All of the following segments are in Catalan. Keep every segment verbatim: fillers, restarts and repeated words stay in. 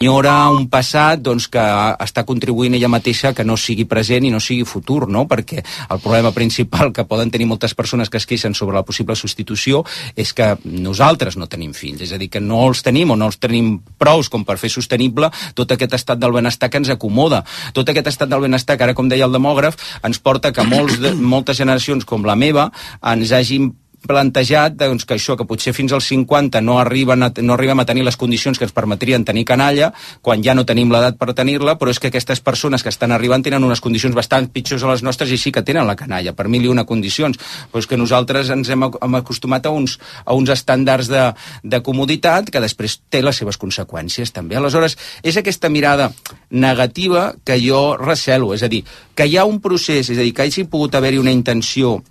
Ignora un passat doncs, que està contribuint ella mateixa que no sigui present i no sigui futur, no? Perquè el problema principal que poden tenir moltes persones que es queixen sobre la possible substitució és que nosaltres no tenim fills, és a dir, que no els tenim o no els tenim prous com per fer sostenible tot aquest estat del benestar que ens acomoda. Tot aquest estat del benestar que ara, com deia el demògraf, ens porta que molts de, moltes generacions com la meva ens hagin plantejat doncs, que això, que potser fins als cinquanta no, arriben a, no arribem a tenir les condicions que ens permetrien tenir canalla, quan ja no tenim l'edat per tenir-la, però és que aquestes persones que estan arribant tenen unes condicions bastant pitjors a les nostres i sí que tenen la canalla, per mil i una condicions. Però és que nosaltres ens hem, hem acostumat a uns, a uns estàndards de, de comoditat que després té les seves conseqüències també. Aleshores, és aquesta mirada negativa que jo recelo, és a dir, que hi ha un procés, és a dir, que hagi pogut haver-hi una intenció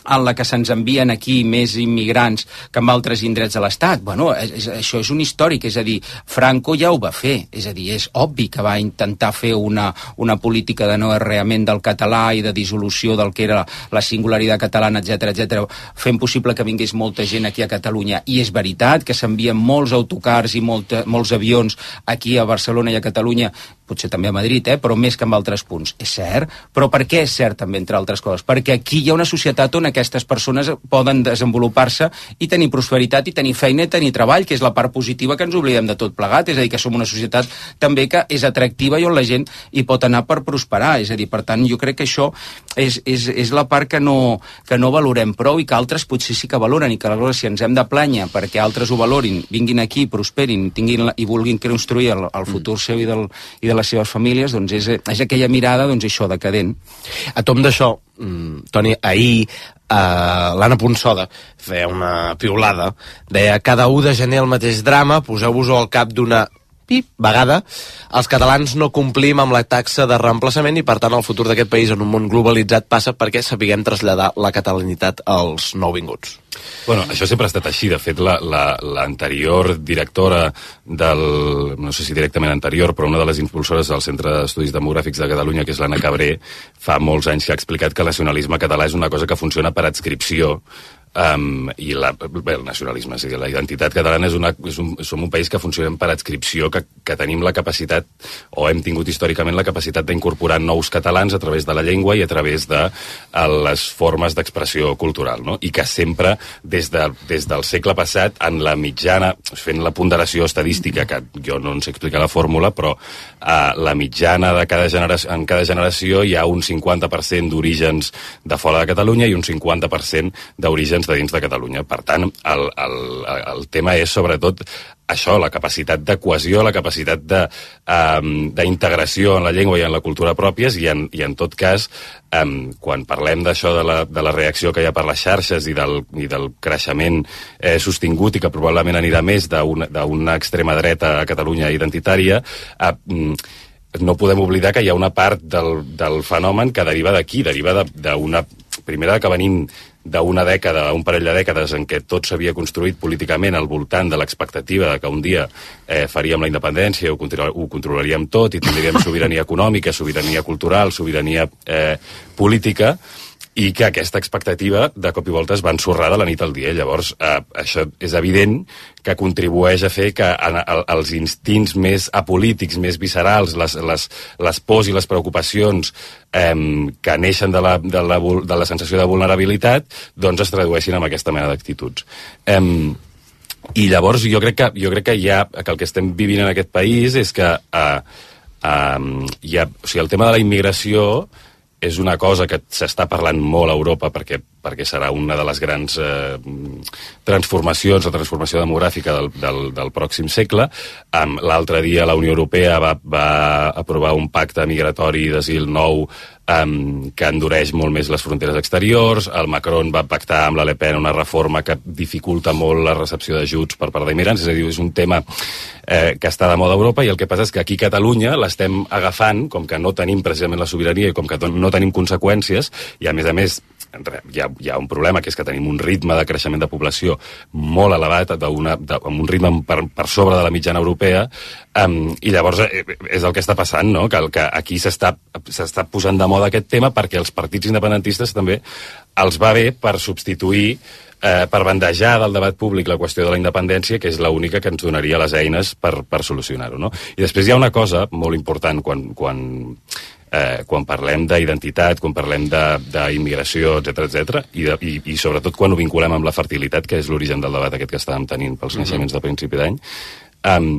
en la que se'ns envien aquí més immigrants que en altres indrets de l'Estat. Bueno, és, això és un històric, és a dir, Franco ja ho va fer, és a dir, és obvi que va intentar fer una, una política de no arreament del català i de dissolució del que era la singularitat catalana, etcètera, etcètera, fent possible que vingués molta gent aquí a Catalunya. I és veritat que s'envien molts autocars i molta, molts avions aquí a Barcelona i a Catalunya, potser també a Madrid, eh, però més que en altres punts. És cert, però per què és cert també, entre altres coses? Perquè aquí hi ha una societat on aquestes persones poden desenvolupar-se i tenir prosperitat i tenir feina i tenir treball, que és la part positiva que ens oblidem de tot plegat, és a dir, que som una societat també que és atractiva i on la gent hi pot anar per prosperar, és a dir, per tant, jo crec que això és, és, és la part que no, que no valorem prou i que altres potser sí que valoren i que aleshores si ens hem de plànyer perquè altres ho valorin, vinguin aquí, prosperin, tinguin la, i vulguin construir el, el futur seu i, del, i de les seves famílies, doncs és, és aquella mirada, doncs això, decadent. A tom d'això, Toni, ahir Uh, l'Anna Ponsoda feia una piulada, deia cada u de gener el mateix drama, poseu-vos-ho al cap d'una pip, vegada, els catalans no complim amb la taxa de reemplaçament i per tant el futur d'aquest país en un món globalitzat passa perquè sapiguem traslladar la catalanitat als nouvinguts. Bueno, això sempre ha estat així. De fet, la, la, l'anterior directora del... no sé si directament anterior, però una de les impulsores del Centre d'Estudis Demogràfics de Catalunya, que és l'Anna Cabré, fa molts anys que ha explicat que el nacionalisme català és una cosa que funciona per adscripció. Um, i la, bé, el nacionalisme, és a dir, la identitat catalana és, una, és un, som un país que funcionem per adscripció, que, que tenim la capacitat, o hem tingut històricament la capacitat d'incorporar nous catalans a través de la llengua i a través de a les formes d'expressió cultural, no? I que sempre, des, de, des del segle passat, en la mitjana, fent la ponderació estadística, que jo no en sé explicar la fórmula, però uh, la mitjana de cada generació, en cada generació hi ha un cinquanta per cent d'orígens de fora de Catalunya i un cinquanta per cent d'orígens de dins de Catalunya. Per tant, el, el, el tema és sobretot això, la capacitat de cohesió, la capacitat de, um, d'integració en la llengua i en la cultura pròpies i en, i en tot cas, um, quan parlem d'això de la, de la reacció que hi ha per les xarxes i del, i del creixement eh, sostingut i que probablement anirà més d'una, d'una extrema dreta a Catalunya identitària, eh, no podem oblidar que hi ha una part del, del fenomen que deriva d'aquí, deriva d'una... Primera que venim d'una dècada, un parell de dècades en què tot s'havia construït políticament al voltant de l'expectativa de que un dia eh, faríem la independència, ho, ho controlaríem tot i tindríem sobirania econòmica, sobirania cultural, sobirania eh, política, i que aquesta expectativa de cop i volta es va ensorrar de la nit al dia. Llavors, eh, això és evident que contribueix a fer que en, el, els instints més apolítics, més viscerals, les, les, les pors i les preocupacions eh, que neixen de la, de, la, de la sensació de vulnerabilitat, doncs es tradueixin en aquesta mena d'actituds. Eh, I llavors jo crec que, jo crec que, hi ha, que el que estem vivint en aquest país és que eh, eh, hi ha, o sigui, el tema de la immigració és una cosa que s'està parlant molt a Europa perquè, perquè serà una de les grans eh, transformacions, la transformació demogràfica del, del, del pròxim segle. Um, l'altre dia la Unió Europea va, va aprovar un pacte migratori d'asil nou um, que endureix molt més les fronteres exteriors. El Macron va pactar amb la Le Pen una reforma que dificulta molt la recepció d'ajuts per part d'immigrants, és a dir, és un tema eh, que està de moda a Europa i el que passa és que aquí a Catalunya l'estem agafant, com que no tenim precisament la sobirania i com que no tenim conseqüències, i a més a més hi ha, hi ha un problema, que és que tenim un ritme de creixement de població molt elevat, d'una, de, amb un ritme per, per sobre de la mitjana europea, um, i llavors eh, és el que està passant, no? que, que aquí s'està, s'està posant de moda aquest tema perquè els partits independentistes també els va bé per substituir eh, per bandejar del debat públic la qüestió de la independència, que és l'única que ens donaria les eines per, per solucionar-ho, no? I després hi ha una cosa molt important quan, quan, eh, quan parlem d'identitat, quan parlem d'immigració, etcètera, etcètera, i, de, i, i sobretot quan ho vinculem amb la fertilitat, que és l'origen del debat aquest que estàvem tenint pels mm-hmm. naixements de principi d'any, um,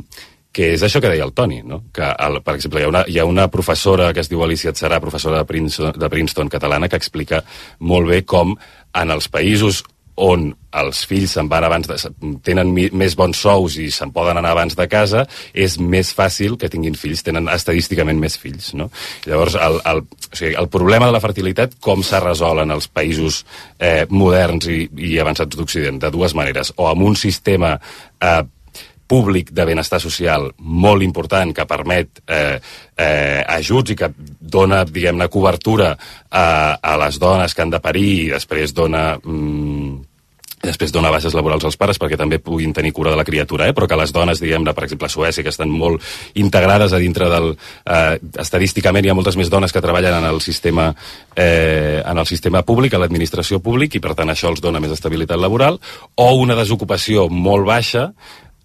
que és això que deia el Toni, no? Que, el, per exemple, hi ha, una, hi ha una professora que es diu Alicia Serà, professora de Princeton, de Princeton catalana, que explica molt bé com en els països on els fills se'n van abans de, tenen mi, més bons sous i se'n poden anar abans de casa, és més fàcil que tinguin fills, tenen estadísticament més fills, no? Llavors, el, el, o sigui, el problema de la fertilitat, com s'ha resolt en els països eh, moderns i, i avançats d'Occident? De dues maneres, o amb un sistema eh, públic de benestar social molt important que permet eh, eh, ajuts i que dona, diguem-ne, cobertura a, a les dones que han de parir i després dona... Mm, després dona bases laborals als pares perquè també puguin tenir cura de la criatura, eh? Però que les dones, diguem-ne, per exemple, a Suècia, que estan molt integrades a dintre del... Eh, estadísticament hi ha moltes més dones que treballen en el sistema, eh, en el sistema públic, a l'administració públic, i per tant això els dona més estabilitat laboral, o una desocupació molt baixa,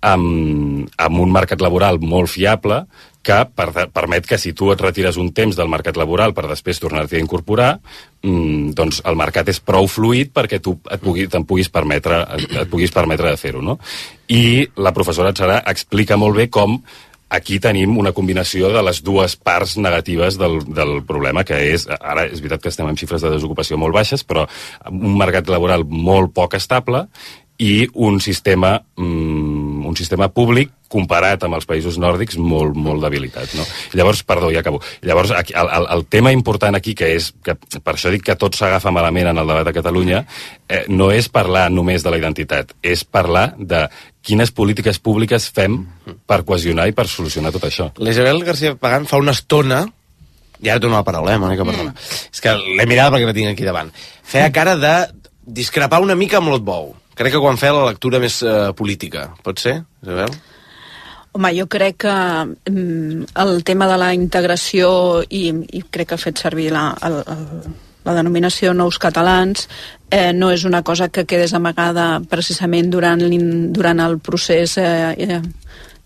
amb, amb un mercat laboral molt fiable, que per, permet que si tu et retires un temps del mercat laboral per després tornar-t'hi a incorporar, mmm, doncs el mercat és prou fluid perquè tu et pugui, te'n puguis permetre, et, et puguis permetre de fer-ho, no? I la professora Serà explica molt bé com aquí tenim una combinació de les dues parts negatives del, del problema, que és, ara és veritat que estem en xifres de desocupació molt baixes, però un mercat laboral molt poc estable i un sistema, mm, un sistema públic comparat amb els països nòrdics molt, molt debilitat, no? Llavors, perdó, ja acabo. Llavors, aquí, el, el, el tema important aquí, que és, que per això dic que tot s'agafa malament en el debat a Catalunya, eh, no és parlar només de la identitat, és parlar de quines polítiques públiques fem per cohesionar i per solucionar tot això. L'Isabel García Pagán fa una estona, i ara torno la paraula, eh, Mònica, perdona. Mm. És que l'he mirada perquè la tinc aquí davant. Feia cara de discrepar una mica amb l'Ot Bou. Crec que quan feia la lectura més eh, política. Pot ser, Isabel? Home, jo crec que mm, el tema de la integració, i, i crec que ha fet servir la, el, el, la denominació nous catalans, eh, no és una cosa que quedés amagada precisament durant, durant el procés eh, eh,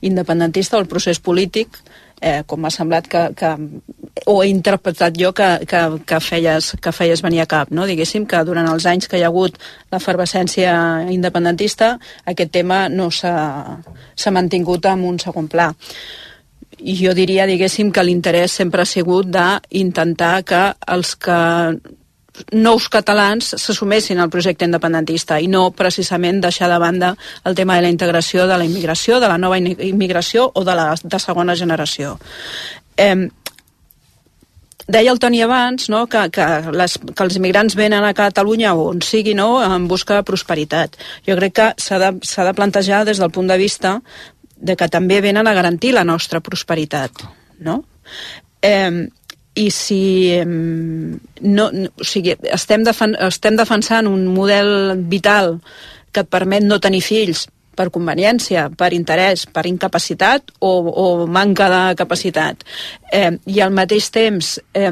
independentista o el procés polític, eh, com m'ha semblat que, que o he interpretat jo que, que, que, feies, que feies venir a cap, no? Diguéssim que durant els anys que hi ha hagut l'efervescència independentista aquest tema no s'ha mantingut en un segon pla. I jo diria, diguéssim, que l'interès sempre ha sigut d'intentar que els que nous catalans s'assumessin al projecte independentista i no precisament deixar de banda el tema de la integració, de la immigració, de la nova immigració o de la de segona generació. Eh, deia el Toni abans, no, que, que, les, que els immigrants venen a Catalunya o on sigui, no, en busca de prosperitat. Jo crec que s'ha de, s'ha de plantejar des del punt de vista de que també venen a garantir la nostra prosperitat, no? Eh, i si no, no, o sigui, estem, defen, estem defensant un model vital que et permet no tenir fills per conveniència, per interès, per incapacitat o, o manca de capacitat, eh, i al mateix temps eh,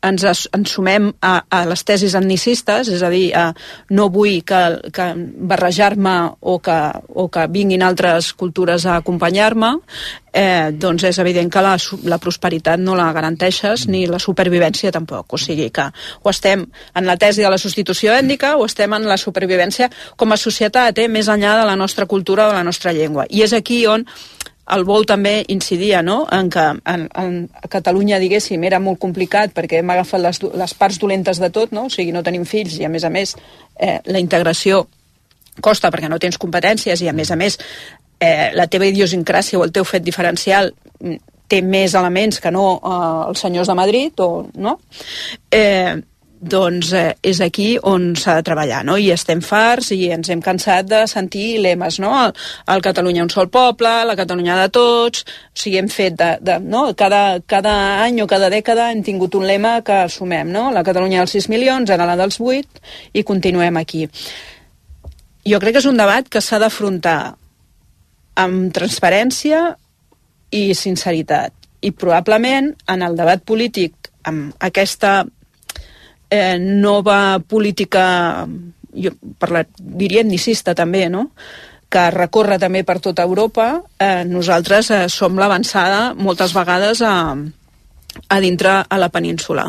ens, ens sumem a, a les tesis etnicistes, és a dir, a, no vull que, que barrejar-me o que, o que vinguin altres cultures a acompanyar-me, eh, doncs és evident que la, la prosperitat no la garanteixes ni la supervivència tampoc. O sigui que o estem en la tesi de la substitució ètnica o estem en la supervivència com a societat, eh, més enllà de la nostra cultura o de la nostra llengua. I és aquí on el Bou també incidia, no?, en que en, en Catalunya, diguéssim, era molt complicat perquè hem agafat les, les parts dolentes de tot, no? O sigui, no tenim fills i, a més a més, eh, la integració costa perquè no tens competències i, a més a més, eh, la teva idiosincràsia o el teu fet diferencial té més elements que no eh, els senyors de Madrid, o no? Eh, doncs eh, és aquí on s'ha de treballar, no? I estem farts i ens hem cansat de sentir lemes, no? El, el Catalunya un sol poble, la Catalunya de tots, o sigui, hem fet de, de, no? Cada, cada any o cada dècada hem tingut un lema que assumem, no? La Catalunya dels sis milions, ara la dels vuit, i continuem aquí. Jo crec que és un debat que s'ha d'afrontar amb transparència i sinceritat, i probablement en el debat polític amb aquesta Eh, nova política jo parlar, diria etnicista també, no?, que recorre també per tota Europa, eh, nosaltres eh, som l'avançada moltes vegades a, a dintre a la península.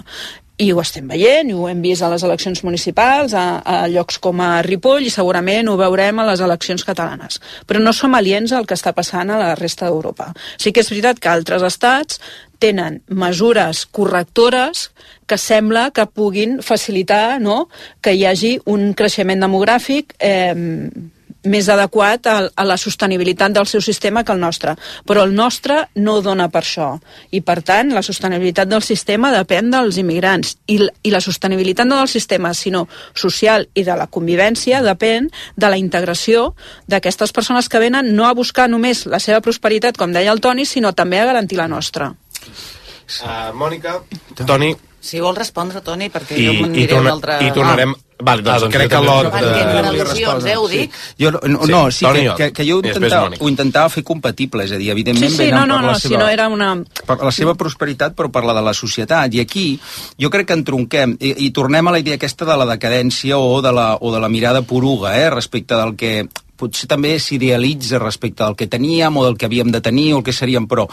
I ho estem veient, i ho hem vist a les eleccions municipals, a, a llocs com a Ripoll, i segurament ho veurem a les eleccions catalanes. Però no som aliens al que està passant a la resta d'Europa. Sí que és veritat que altres estats tenen mesures correctores que sembla que puguin facilitar, no?, que hi hagi un creixement demogràfic eh, més adequat a, a la sostenibilitat del seu sistema que el nostre. Però el nostre no dona per això. I, per tant, la sostenibilitat del sistema depèn dels immigrants. I, i la sostenibilitat no del sistema, sinó social i de la convivència, depèn de la integració d'aquestes persones que venen no a buscar només la seva prosperitat, com deia el Toni, sinó també a garantir la nostra. Uh, Mònica, Toni... Si vol respondre, Toni, perquè I, jo m'aniré a un altre... I tornarem... Ah. Vale, doncs, ah, doncs crec que l'Ot... Per al·lusions, eh, ho dic? Sí. Jo, no, no, sí, que, que, que jo ho intentava, ho intentava fer compatible, és a dir, evidentment... Sí, sí, no, no, no, si no era una... Per la seva prosperitat, però per la de la societat. I aquí jo crec que entronquem, i, i tornem a la idea aquesta de la decadència o de la, o de la mirada poruga, eh, respecte del que potser també s'idealitza respecte del que teníem o del que havíem de tenir o el que seríem, però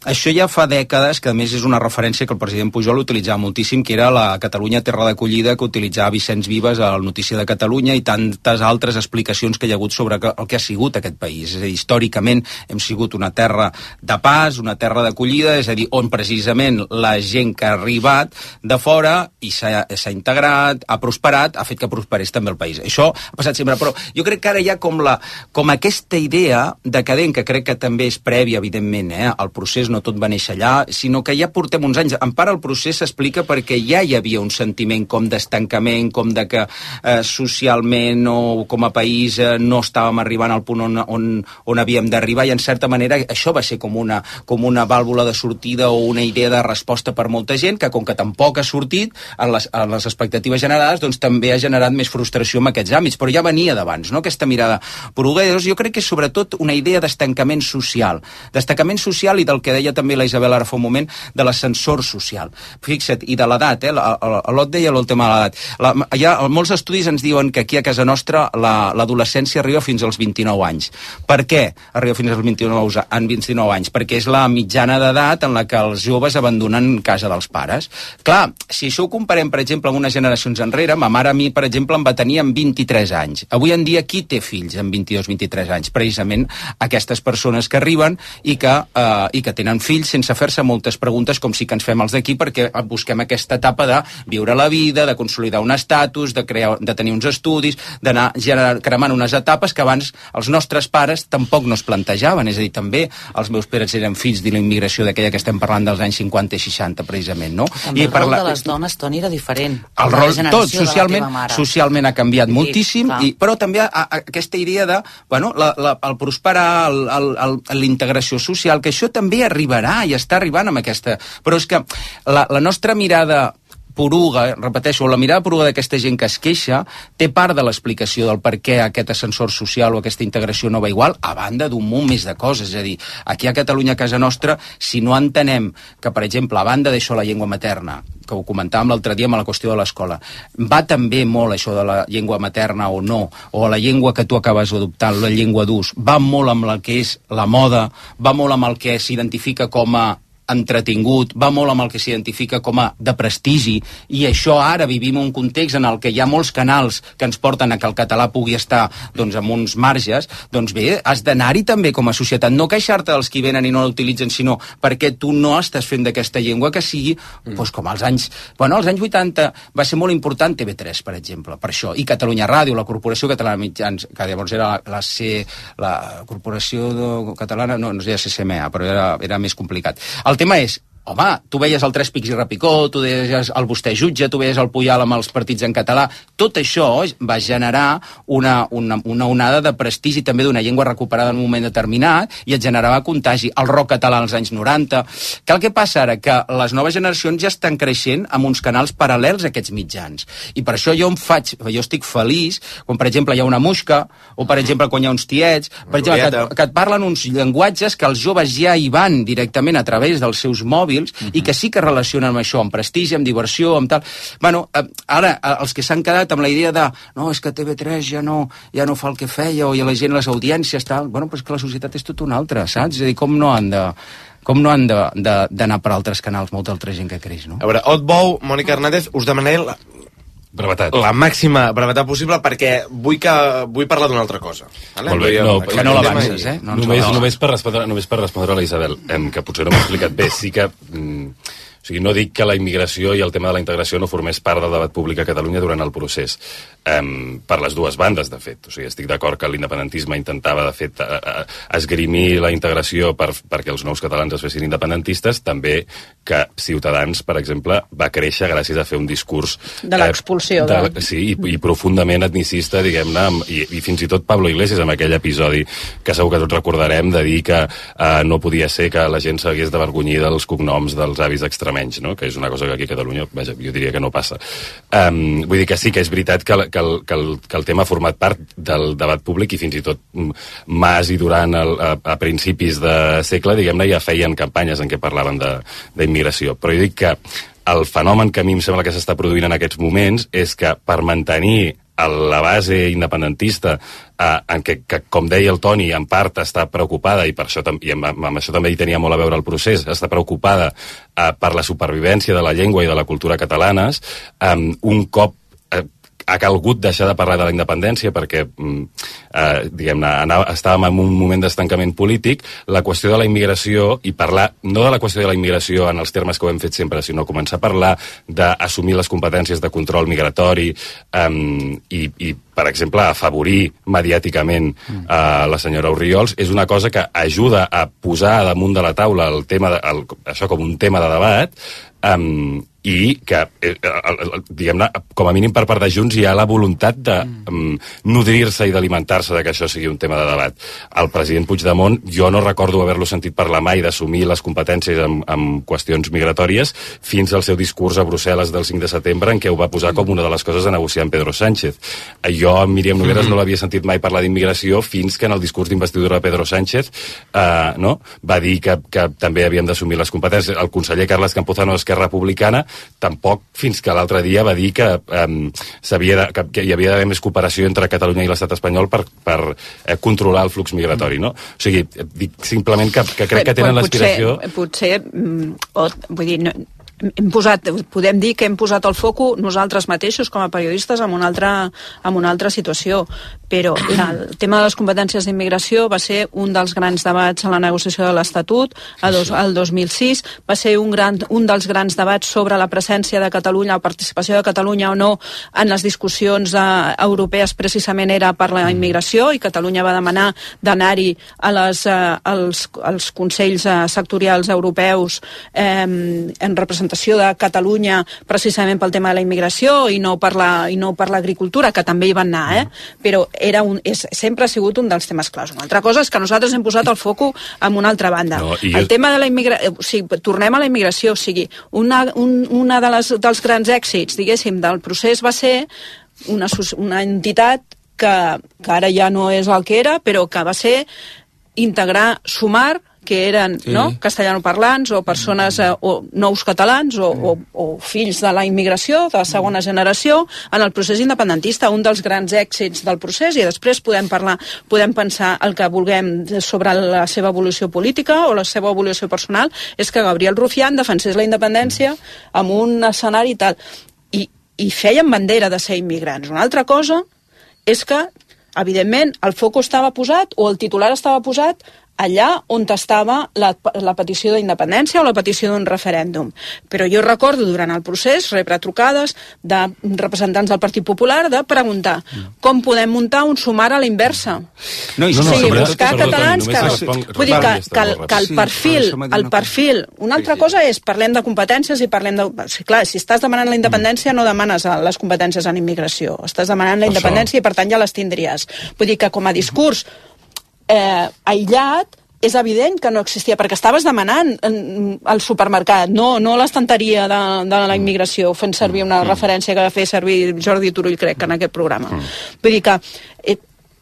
això ja fa dècades, que a més és una referència que el president Pujol utilitzava moltíssim, que era la Catalunya terra d'acollida que utilitzava Vicenç Vives al Notícia de Catalunya i tantes altres explicacions que hi ha hagut sobre el que ha sigut aquest país. És a dir, històricament hem sigut una terra de pas, una terra d'acollida, és a dir, on precisament la gent que ha arribat de fora i s'ha integrat, ha prosperat, ha fet que prosperés també el país. Això ha passat sempre, però jo crec que ara hi ha com la com aquesta idea decadent, que crec que també és prèvia, evidentment, eh? El procés no tot va néixer allà, sinó que ja portem uns anys. En part el procés s'explica perquè ja hi havia un sentiment com d'estancament, com de que eh, socialment o com a país eh, no estàvem arribant al punt on, on, on havíem d'arribar, i en certa manera això va ser com una, com una vàlvula de sortida o una idea de resposta per molta gent, que com que tampoc ha sortit en les, en les expectatives generades, doncs també ha generat més frustració en aquests àmbits, però ja venia d'abans, no?, aquesta mirada porugueros. Jo crec que és sobretot una idea d'estancament social, d'estancament social i del que deia també la Isabel ara fa un moment, de l'ascensor social. Fixa't, i de l'edat, eh? L'Ot deia el tema de l'edat. La, ja, molts estudis ens diuen que aquí a casa nostra l'adolescència arriba fins als vint-i-nou anys. Per què arriba fins als vint-i-nou, en vint-i-nou anys? Perquè és la mitjana d'edat en la que els joves abandonen casa dels pares. Clar, si això ho comparem, per exemple, amb unes generacions enrere, ma mare a mi, per exemple, em va tenir amb vint-i-tres anys. Avui en dia, qui té fills amb vint-i-dos vint-i-tres anys? Precisament aquestes persones que arriben i que, eh, i que tenen fills sense fer-se moltes preguntes com sí que ens fem els d'aquí, perquè busquem aquesta etapa de viure la vida, de consolidar un estatus, de, crear, de tenir uns estudis, d'anar cremant unes etapes que abans els nostres pares tampoc no es plantejaven. És a dir, també els meus pares eren fills de la immigració d'aquella que estem parlant dels anys cinquanta i seixanta, precisament, no? També I el rol la... de les dones, Toni, era diferent. El rol, tot, socialment, socialment ha canviat sí, moltíssim, i, però també a, a, aquesta idea de, bueno, la, la, el prosperar, la integració social, que això també arribarà i està arribant amb aquesta... Però és que la, la nostra mirada poruga, repeteixo, la mirada poruga d'aquesta gent que es queixa té part de l'explicació del per què aquest ascensor social o aquesta integració no va igual, a banda d'un munt més de coses. És a dir, aquí a Catalunya, a casa nostra, si no entenem que, per exemple, a banda d'això la llengua materna, que ho comentàvem l'altre dia amb la qüestió de l'escola, va també molt això de la llengua materna o no, o la llengua que tu acabes d'adoptar, la llengua d'ús, va molt amb el que és la moda, va molt amb el que s'identifica com a entretingut, va molt amb el que s'identifica com a de prestigi, i això ara vivim un context en el que hi ha molts canals que ens porten a que el català pugui estar doncs amb uns marges. Doncs bé, has d'anar-hi també com a societat, no queixar-te dels qui venen i no l'utilitzen, sinó perquè tu no estàs fent d'aquesta llengua que sigui mm. doncs com als anys, bueno, als anys vuitanta va ser molt important T V tres, per exemple, per això, i Catalunya Ràdio, la Corporació Catalana de Mitjans, que llavors era la, la, C, la Corporació de, Catalana, no, no es deia C C M A, però era, era més complicat. El El tema és, home, tu veies el Tres Pics i Repicó, tu veies el Vostè Jutge, tu veies el Puyal amb els partits en català, tot això va generar una, una, una onada de prestigi també d'una llengua recuperada en un moment determinat i et generava contagi. El rock català als anys noranta. Que el que passa ara? Que les noves generacions ja estan creixent amb uns canals paral·lels a aquests mitjans. I per això jo em faig, jo estic feliç quan, per exemple, hi ha una Muixca, o, per exemple, quan hi ha uns tiets, per exemple, que, que et parlen uns llenguatges que els joves ja hi van directament a través dels seus mòbils, civils, uh-huh. i que sí que relacionen amb això, amb prestigi, amb diversió, amb tal. Bueno, ara, els que s'han quedat amb la idea de no, és que T V tres ja no, ja no fa el que feia, o i la gent, les audiències, tal, bueno, però és que la societat és tot una altra, saps? És a dir, com no han de... com no han d'anar per altres canals, molta altra gent que creix, no? A veure, Otbou, Mònica Hernández, us demanaré la, brevetat. la màxima brevetat possible perquè vull, que, vull parlar d'una altra cosa. Vale? Molt bé, no, que no l'avances, eh? No només, no. només, per respondre, només per respondre a la Isabel, em, que potser no m'ha explicat bé, sí que... Mm, o sigui, no dic que la immigració i el tema de la integració no formés part del debat públic a Catalunya durant el procés. Um, per les dues bandes, de fet. O sigui, estic d'acord que l'independentisme intentava, de fet, a, a, esgrimir la integració per, perquè els nous catalans es fessin independentistes, també que Ciutadans, per exemple, va créixer gràcies a fer un discurs... De l'expulsió. Eh, de, de... Sí, i, i profundament etnicista, diguem-ne, i, i fins i tot Pablo Iglesias, en aquell episodi que segur que tots recordarem, de dir que uh, no podia ser que la gent s'hagués d'avergonyir dels cognoms dels avis extremenys, no? Que és una cosa que aquí a Catalunya, vaja, jo diria que no passa. Um, vull dir que sí, que és veritat que, que, el, que, el, que el tema ha format part del debat públic i fins i tot Mas i Duran el, a, a principis de segle, diguem-ne, ja feien campanyes en què parlaven d'immigració. Però jo dic que el fenomen que a mi em sembla que s'està produint en aquests moments és que per mantenir la base independentista, eh, en què, que, com deia el Toni, en part està preocupada, i per això, i amb, amb això també hi tenia molt a veure el procés, està preocupada eh, per la supervivència de la llengua i de la cultura catalanes, eh, un cop eh, ha calgut deixar de parlar de la independència perquè, eh, diguem-ne, estàvem en un moment d'estancament polític, la qüestió de la immigració, i parlar, no de la qüestió de la immigració en els termes que ho hem fet sempre, sinó començar a parlar d'assumir les competències de control migratori eh, i, i, per exemple, afavorir mediàticament eh, la senyora Orriols, és una cosa que ajuda a posar damunt de la taula el tema de, el, això com un tema de debat, um, i que, eh, diguem-ne, com a mínim per part de Junts hi ha la voluntat de um, nodrir-se i d'alimentar-se de que això sigui un tema de debat. El president Puigdemont, jo no recordo haver-lo sentit parlar mai d'assumir les competències en, en qüestions migratòries fins al seu discurs a Brussel·les del cinc de setembre, en què ho va posar com una de les coses a negociar amb Pedro Sánchez. Jo, amb Míriam Nogueras, no l'havia sentit mai parlar d'immigració fins que en el discurs d'investidura de Pedro Sánchez eh, no? va dir que, que també havíem d'assumir les competències. El conseller Carles Campuzano d'Esquerra Republicana tampoc fins que l'altre dia va dir que, um, de, que, que hi havia d'haver més cooperació entre Catalunya i l'estat espanyol per, per eh, controlar el flux migratori, no? O sigui, dic simplement que, que crec que tenen l'aspiració... Potser, potser o, vull dir, no, hem posat, podem dir que hem posat el foco nosaltres mateixos com a periodistes en una altra, en una altra situació, però la, el tema de les competències d'immigració va ser un dels grans debats a la negociació de l'Estatut el dos mil sis, va ser un, gran, un dels grans debats sobre la presència de Catalunya, la participació de Catalunya o no en les discussions eh, europees, precisament era per la immigració, i Catalunya va demanar d'anar-hi a les, eh, als, als consells eh, sectorials europeus eh, en representació de Catalunya precisament pel tema de la immigració i no per la, i no per l'agricultura, que també hi van anar, eh? Però era un, és, sempre ha sigut un dels temes clars. Una altra cosa és que nosaltres hem posat el foco en una altra banda. No, el jo... tema de la immigració, o sigui, tornem a la immigració, o sigui, una, un, una de les, dels grans èxits, diguéssim, del procés va ser una, una entitat que, que ara ja no és el que era, però que va ser integrar, sumar, que eren sí. no, castellanoparlants o persones eh, o nous catalans o, o, o fills de la immigració de la segona generació en el procés independentista, un dels grans èxits del procés, i després podem parlar, podem pensar el que vulguem sobre la seva evolució política o la seva evolució personal, és que Gabriel Rufián defensés la independència amb un escenari i tal, i, i feien bandera de ser immigrants. Una altra cosa és que, evidentment, el foc estava posat o el titular estava posat allà on estava la, la petició d'independència o la petició d'un referèndum. Però jo recordo durant el procés rebre trucades de representants del Partit Popular de preguntar com podem muntar un sumar a la inversa. No, no, no, o sigui, buscar catalans que... Vull dir que, que, que el perfil, el perfil... Una altra cosa és, parlem de competències i parlem de... Sí, clar, si estàs demanant la independència no demanes les competències en immigració. Estàs demanant la independència i per tant ja les tindries. Vull dir que com a discurs Eh, aïllat, és evident que no existia, perquè estaves demanant al supermercat, no, no l'estanteria de, de la immigració, fent servir una mm. referència que va fer servir Jordi Turull, crec, en aquest programa. Mm. Vull dir que eh,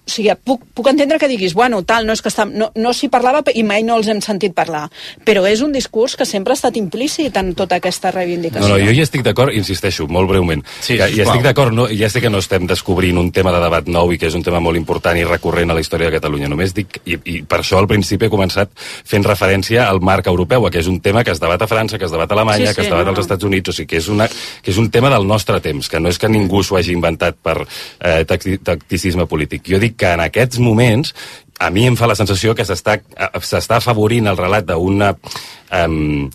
o sigui, puc, puc entendre que diguis, bueno, tal, no és que està, no, no s'hi parlava i mai no els hem sentit parlar, però és un discurs que sempre ha estat implícit en tota aquesta reivindicació. No, no, jo hi estic d'acord, insisteixo, molt breument. Sí, que, hi estic d'acord, no, ja sé que no estem descobrint un tema de debat nou i que és un tema molt important i recurrent a la història de Catalunya. Només dic, i, i per això al principi he començat fent referència al marc europeu, que és un tema que es debat a França, que es debat a Alemanya, sí, sí, que es debat no, als Estats Units, o sigui, que és, una, que és un tema del nostre temps, que no és que ningú s'ho hagi inventat per eh, tacticisme polític. Jo dic que en aquests moments a mi em fa la sensació que s'està s'està afavorint el relat d'una um,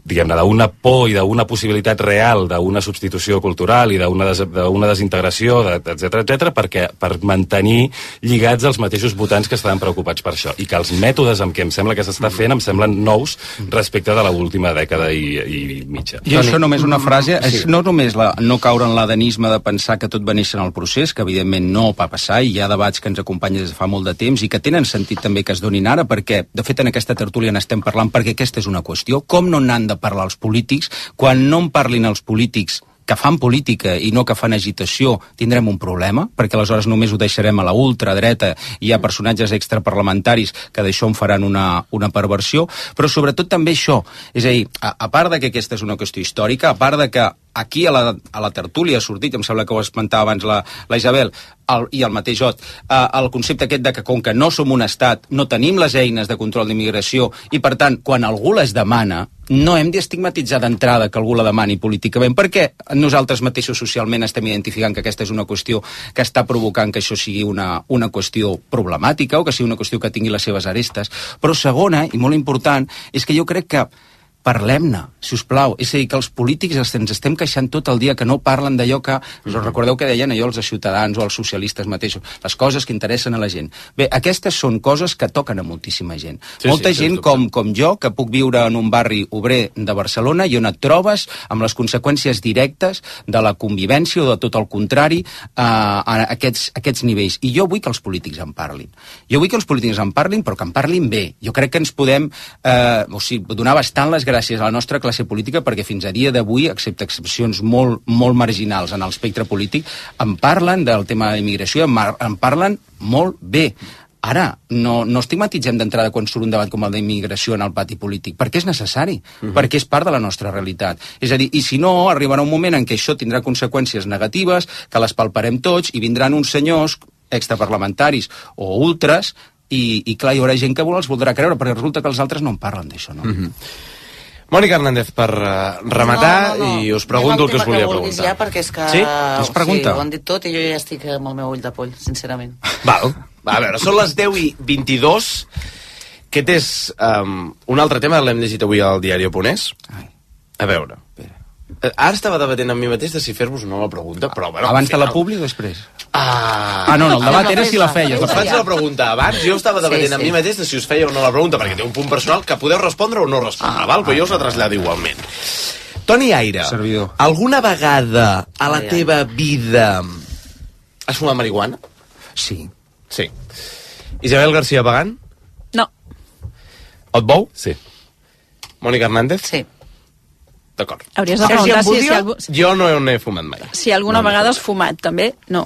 diguem-ne, d'una por i d'una possibilitat real d'una substitució cultural i d'una des, desintegració, etcètera, etcètera, perquè per mantenir lligats els mateixos votants que estaven preocupats per això. I que els mètodes amb què em sembla que s'està fent em semblen nous respecte de l'última dècada i, i mitja. I això només una frase, és no només la, no caure en l'adenisme de pensar que tot va néixer en el procés, que evidentment no va passar, i hi ha debats que ens acompanyen des de fa molt de temps i que tenen sentit també que es donin ara, perquè, de fet, en aquesta tertúlia n'estem parlant perquè aquesta és una qüestió. Com no n'han de parlar els polítics? Quan no en parlin els polítics que fan política i no que fan agitació, tindrem un problema, perquè aleshores només ho deixarem a la ultradreta i hi ha personatges extraparlamentaris que d'això en faran una, una perversió, però sobretot també això, és a dir, a, a part de que aquesta és una qüestió històrica, a part de que aquí a la, a la tertúlia ha sortit, em sembla que ho esmentava abans la, la Isabel, el, i el mateix Ot, eh, el concepte aquest de que com que no som un estat, no tenim les eines de control d'immigració i per tant, quan algú les demana, no hem d'estigmatitzar d'entrada que algú la demani políticament, perquè nosaltres mateixos socialment estem identificant que aquesta és una qüestió que està provocant que això sigui una, una qüestió problemàtica o que sigui una qüestió que tingui les seves arestes. Però segona, i molt important, és que jo crec que parlem-ne, si us plau. És a dir, que els polítics ens estem queixant tot el dia que no parlen d'allò que... Us recordeu que deien allò els ciutadans o els socialistes mateixos, les coses que interessen a la gent. Bé, aquestes són coses que toquen a moltíssima gent. Sí, Molta sí, gent com, com jo, que puc viure en un barri obrer de Barcelona i on et trobes amb les conseqüències directes de la convivència o de tot el contrari eh, a aquests, aquests nivells. I jo vull que els polítics en parlin. Jo vull que els polítics en parlin, però que en parlin bé. Jo crec que ens podem eh, o sigui, donar bastant les gràcies a la nostra classe política perquè fins a dia d'avui, excepte excepcions molt, molt marginals en l'espectre polític, en parlen del tema de l'immigració, en, en parlen molt bé. Ara, no, no estigmatitzem d'entrada quan surt un debat com el d'immigració en el pati polític, perquè és necessari, uh-huh. perquè és part de la nostra realitat. És a dir, i si no, arribarà un moment en què això tindrà conseqüències negatives, que les palparem tots, i vindran uns senyors extraparlamentaris o ultres, i, i clar, hi haurà gent que els voldrà creure, perquè resulta que els altres no en parlen d'això, no? Uh-huh. Mònica Hernández, per uh, rematar, no, no, no. i us pregunto el que us volia que preguntar. Ja, perquè és que... Sí? Es pregunta? Sí, ho han dit tot i jo ja estic amb el meu ull de poll, sincerament. Val. Va, a veure, són les deu i vint-i-dos. Aquest és um, un altre tema, l'hem llegit avui al diari Oponès. A veure. Ara estava debatent amb mi mateix de si fer-vos o no la pregunta, però... Bueno, abans de la publi o després? Ah, ah, no, no, el debat era si la feies. Us faig la pregunta abans, jo estava debatent sí, sí. amb mi mateix de si us feia o no la pregunta, perquè té un punt personal que podeu respondre o no respondre, ah, val? Però ah, jo us la trasllado igualment. Toni Aire, servidor. Alguna vegada a la teva vida has fumat marihuana? Sí. Sí. Isabel García Pagán? No. Otbou? Sí. Mònica Hernández? Sí. D'acord. Hauries de preguntar si, si, algú... Jo no n'he fumat mai. Si alguna no, vegada has fumat, també? No.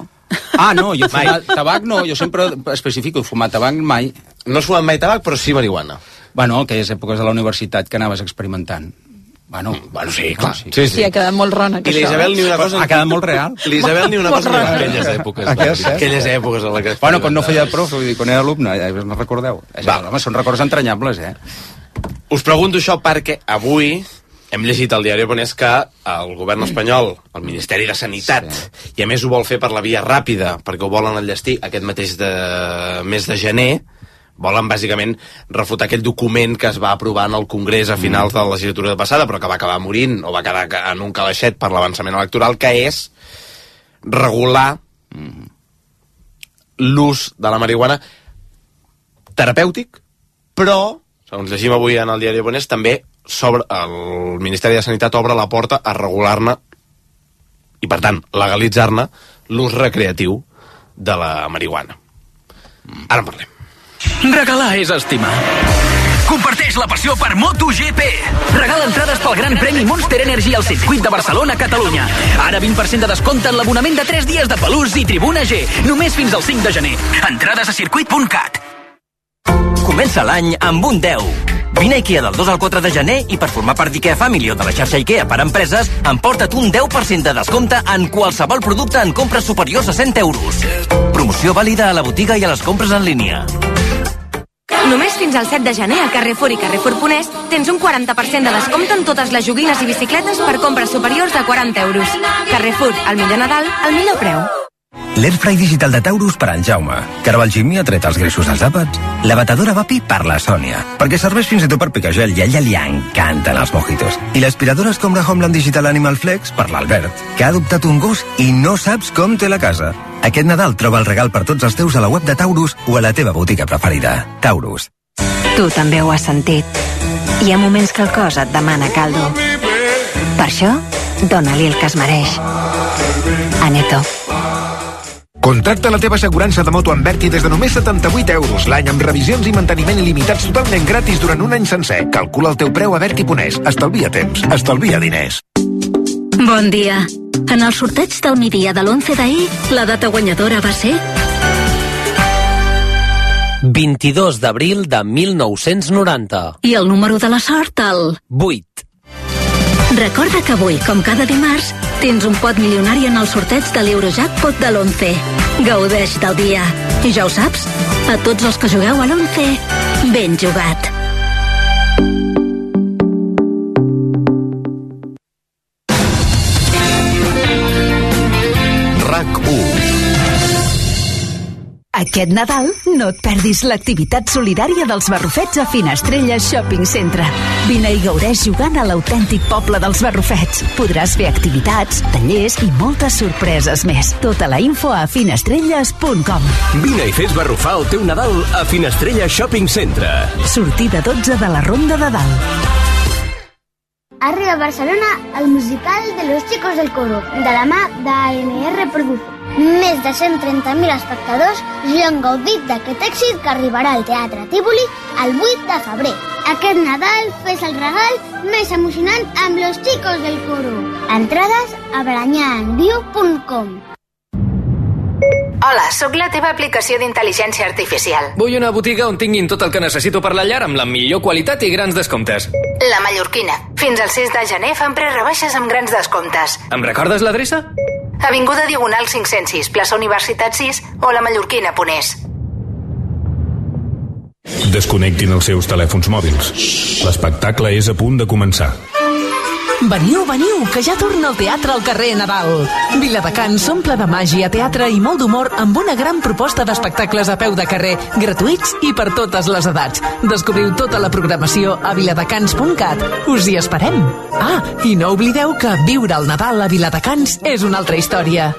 Ah, no, jo fumat tabac no, jo sempre especifico, fumat tabac mai. No has fumat mai tabac, però sí marihuana. Bueno, aquelles èpoques de la universitat que anaves experimentant. Bueno, mm, bueno sí, clar. Sí, sí, sí. sí, ha quedat molt rona, que I l'Isabel ni una cosa... Ha quedat molt real. L'Isabel ni una cosa ni aquelles èpoques. Aquelles, eh? Aquelles èpoques en la que... Bueno, quan no feia prof, vull dir, quan era alumne, ja no recordeu. Va. Home, són records entranyables, eh? Us pregunto això perquè avui hem llegit al diari Oponès que el govern espanyol, el Ministeri de Sanitat, sí. i a més ho vol fer per la via ràpida, perquè ho volen enllestir aquest mateix de... mes de gener, volen bàsicament refutar aquell document que es va aprovar en el Congrés a finals mm. de la legislatura passada, però que va acabar morint, o va quedar en un calaixet per l'avançament electoral, que és regular mm. l'ús de la marihuana terapèutic, però, segons llegim avui en el diari Oponès, també sobre el Ministeri de Sanitat obre la porta a regular-ne i, per tant, legalitzar-ne l'ús recreatiu de la marihuana. Ara en parlem. Regalar és estimar. Comparteix la passió per MotoGP. Regala entrades pel Gran Premi Monster Energy al circuit de Barcelona, Catalunya. Ara vint per cent de descompte en l'abonament de tres dies de Pelús i Tribuna G. Només fins al cinc de gener. Entrades a circuit punt cat. Comença l'any amb un deu. Vine a IKEA del dos al quatre de gener i per formar part d'IKEA Family o de la xarxa IKEA per empreses, emporta't un deu per cent de descompte en qualsevol producte en compres superiors a cent euros. Promoció vàlida a la botiga i a les compres en línia. Només fins al set de gener a Carrefour i Carrefour Ponés tens un quaranta per cent de descompte en totes les joguines i bicicletes per compres superiors a quaranta euros. Carrefour, el millor Nadal, al millor preu. L'Airfry digital de Taurus per en Jaume, que ara el Jimmy ha tret els greixos dels àpats. La batedora Vapi per la Sònia, perquè serveix fins i tot per picar gel i a ella li encanten els mojitos. I l'aspiradora Escombra Homeland Digital Animal Flex per l'Albert, que ha adoptat un gos i no saps com té la casa. Aquest Nadal troba el regal per tots els teus a la web de Taurus o a la teva botiga preferida. Taurus. Tu també ho has sentit. Hi ha moments que el cos et demana caldo. Per això, dona-li el que es mereix. Aneto. Contracta la teva assegurança de moto amb Berti des de només setanta-vuit euros l'any amb revisions i manteniment il·limitats totalment gratis durant un any sencer. Calcula el teu preu a Berti punt es. Estalvia temps, estalvia diners. Bon dia. En el sorteig del migdia de l'onze d'ahir, la data guanyadora va ser... vint-i-dos d'abril de mil nou-cents noranta. I el número de la sort, el... vuit. Recorda que avui, com cada dimarts, tens un pot milionari en el sorteig de l'Eurojackpot de l'onze. Gaudeix del dia. I ja ho saps, a tots els que jugueu a l'onze, ben jugat. RAC u. Aquest Nadal no et perdis l'activitat solidària dels Barrufets a Finestrelles Shopping Centre. Vine i gaudeix jugant a l'autèntic poble dels Barrufets. Podràs fer activitats, tallers i moltes sorpreses més. Tota la info a finestrelles punt com. Vine i fes barrufar el teu Nadal a Finestrelles Shopping Centre. Sortida dotze de la Ronda de Dalt. Arriba a Barcelona el musical de Los Chicos del Coro, de la mà d'A N R Produce. Més de cent trenta mil espectadors ja han gaudit d'aquest èxit que arribarà al Teatre Tívoli el vuit de febrer. Aquest Nadal fes el regal més emocionant amb Los Chicos del Coro. Entrades a baranyaenviu punt com. Hola, sóc la teva aplicació d'intel·ligència artificial. Vull una botiga on tinguin tot el que necessito per la llar amb la millor qualitat i grans descomptes. La Mallorquina. Fins al sis de gener fan prerebaixes amb grans descomptes. Em recordes l'adreça? Avinguda Diagonal cinc-cents sis, plaça Universitat sis o la mallorquina punt es. Desconnectin els seus telèfons mòbils. L'espectacle és a punt de començar. Veniu, veniu, que ja torna el teatre al carrer Nadal. Viladecans s'omple de màgia, teatre i molt d'humor amb una gran proposta d'espectacles a peu de carrer, gratuïts i per totes les edats. Descobriu tota la programació a viladecans punt cat. Us hi esperem. Ah, i no oblideu que viure el Nadal a Viladecans és una altra història.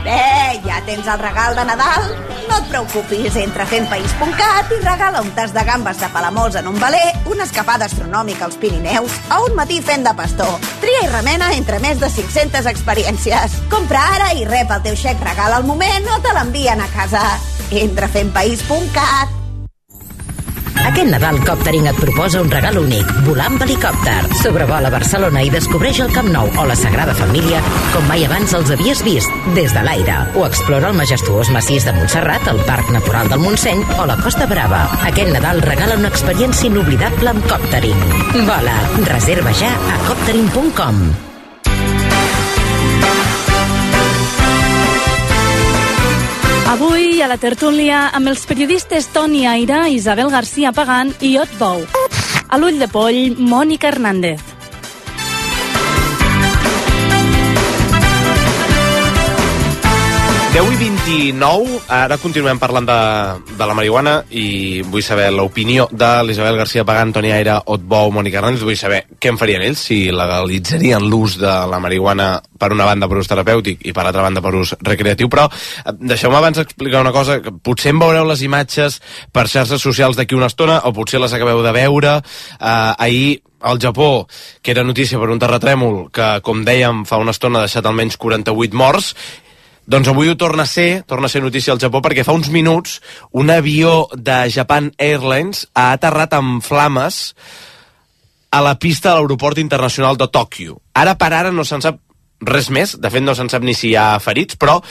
Bé, ja tens el regal de Nadal? No et preocupis, entra a fempaís punt cat i regala un tas de gambes de Palamós en un veler, una escapada astronòmica als Pirineus o un matí fent de pastor. Tria i remena entre més de cinc-centes experiències. Compra ara i rep el teu xec regal al moment o te l'envien a casa. Entra a fempaís punt cat. Aquest Nadal Coptering et proposa un regal únic, volar amb helicòpter. Sobrevola Barcelona i descobreix el Camp Nou o la Sagrada Família com mai abans els havies vist, des de l'aire. O explora el majestuós massís de Montserrat, el Parc Natural del Montseny o la Costa Brava. Aquest Nadal regala una experiència inoblidable amb Coptering. Vola, reserva ja a coptering punt com. Avui a la tertúlia amb els periodistes Toni Aira, Isabel García Pagán i Ot Bou. A l'ull de poll, Mònica Hernández. deu i vint-i-nou, ara continuem parlant de, de la marihuana i vull saber l'opinió de l'Isabel García Pagán, Toni Aira, Ot Bou, Mònica Hernández. Vull saber què en farien ells, si legalitzarien l'ús de la marihuana per una banda per ús terapèutic i per altra banda per ús recreatiu, però deixeu-me abans explicar una cosa, que potser en veureu les imatges per xarxes socials d'aquí una estona o potser les acabeu de veure. Uh, ahir al Japó, que era notícia per un terratrèmol que, com dèiem, fa una estona ha deixat almenys quaranta-vuit morts. Doncs avui ho torna a ser, torna a ser notícia al Japó, perquè fa uns minuts un avió de Japan Airlines ha aterrat amb flames a la pista de l'aeroport internacional de Tòquio. Ara per ara no se'n sap res més, de fet no se'n sap ni si hi ha ferits, però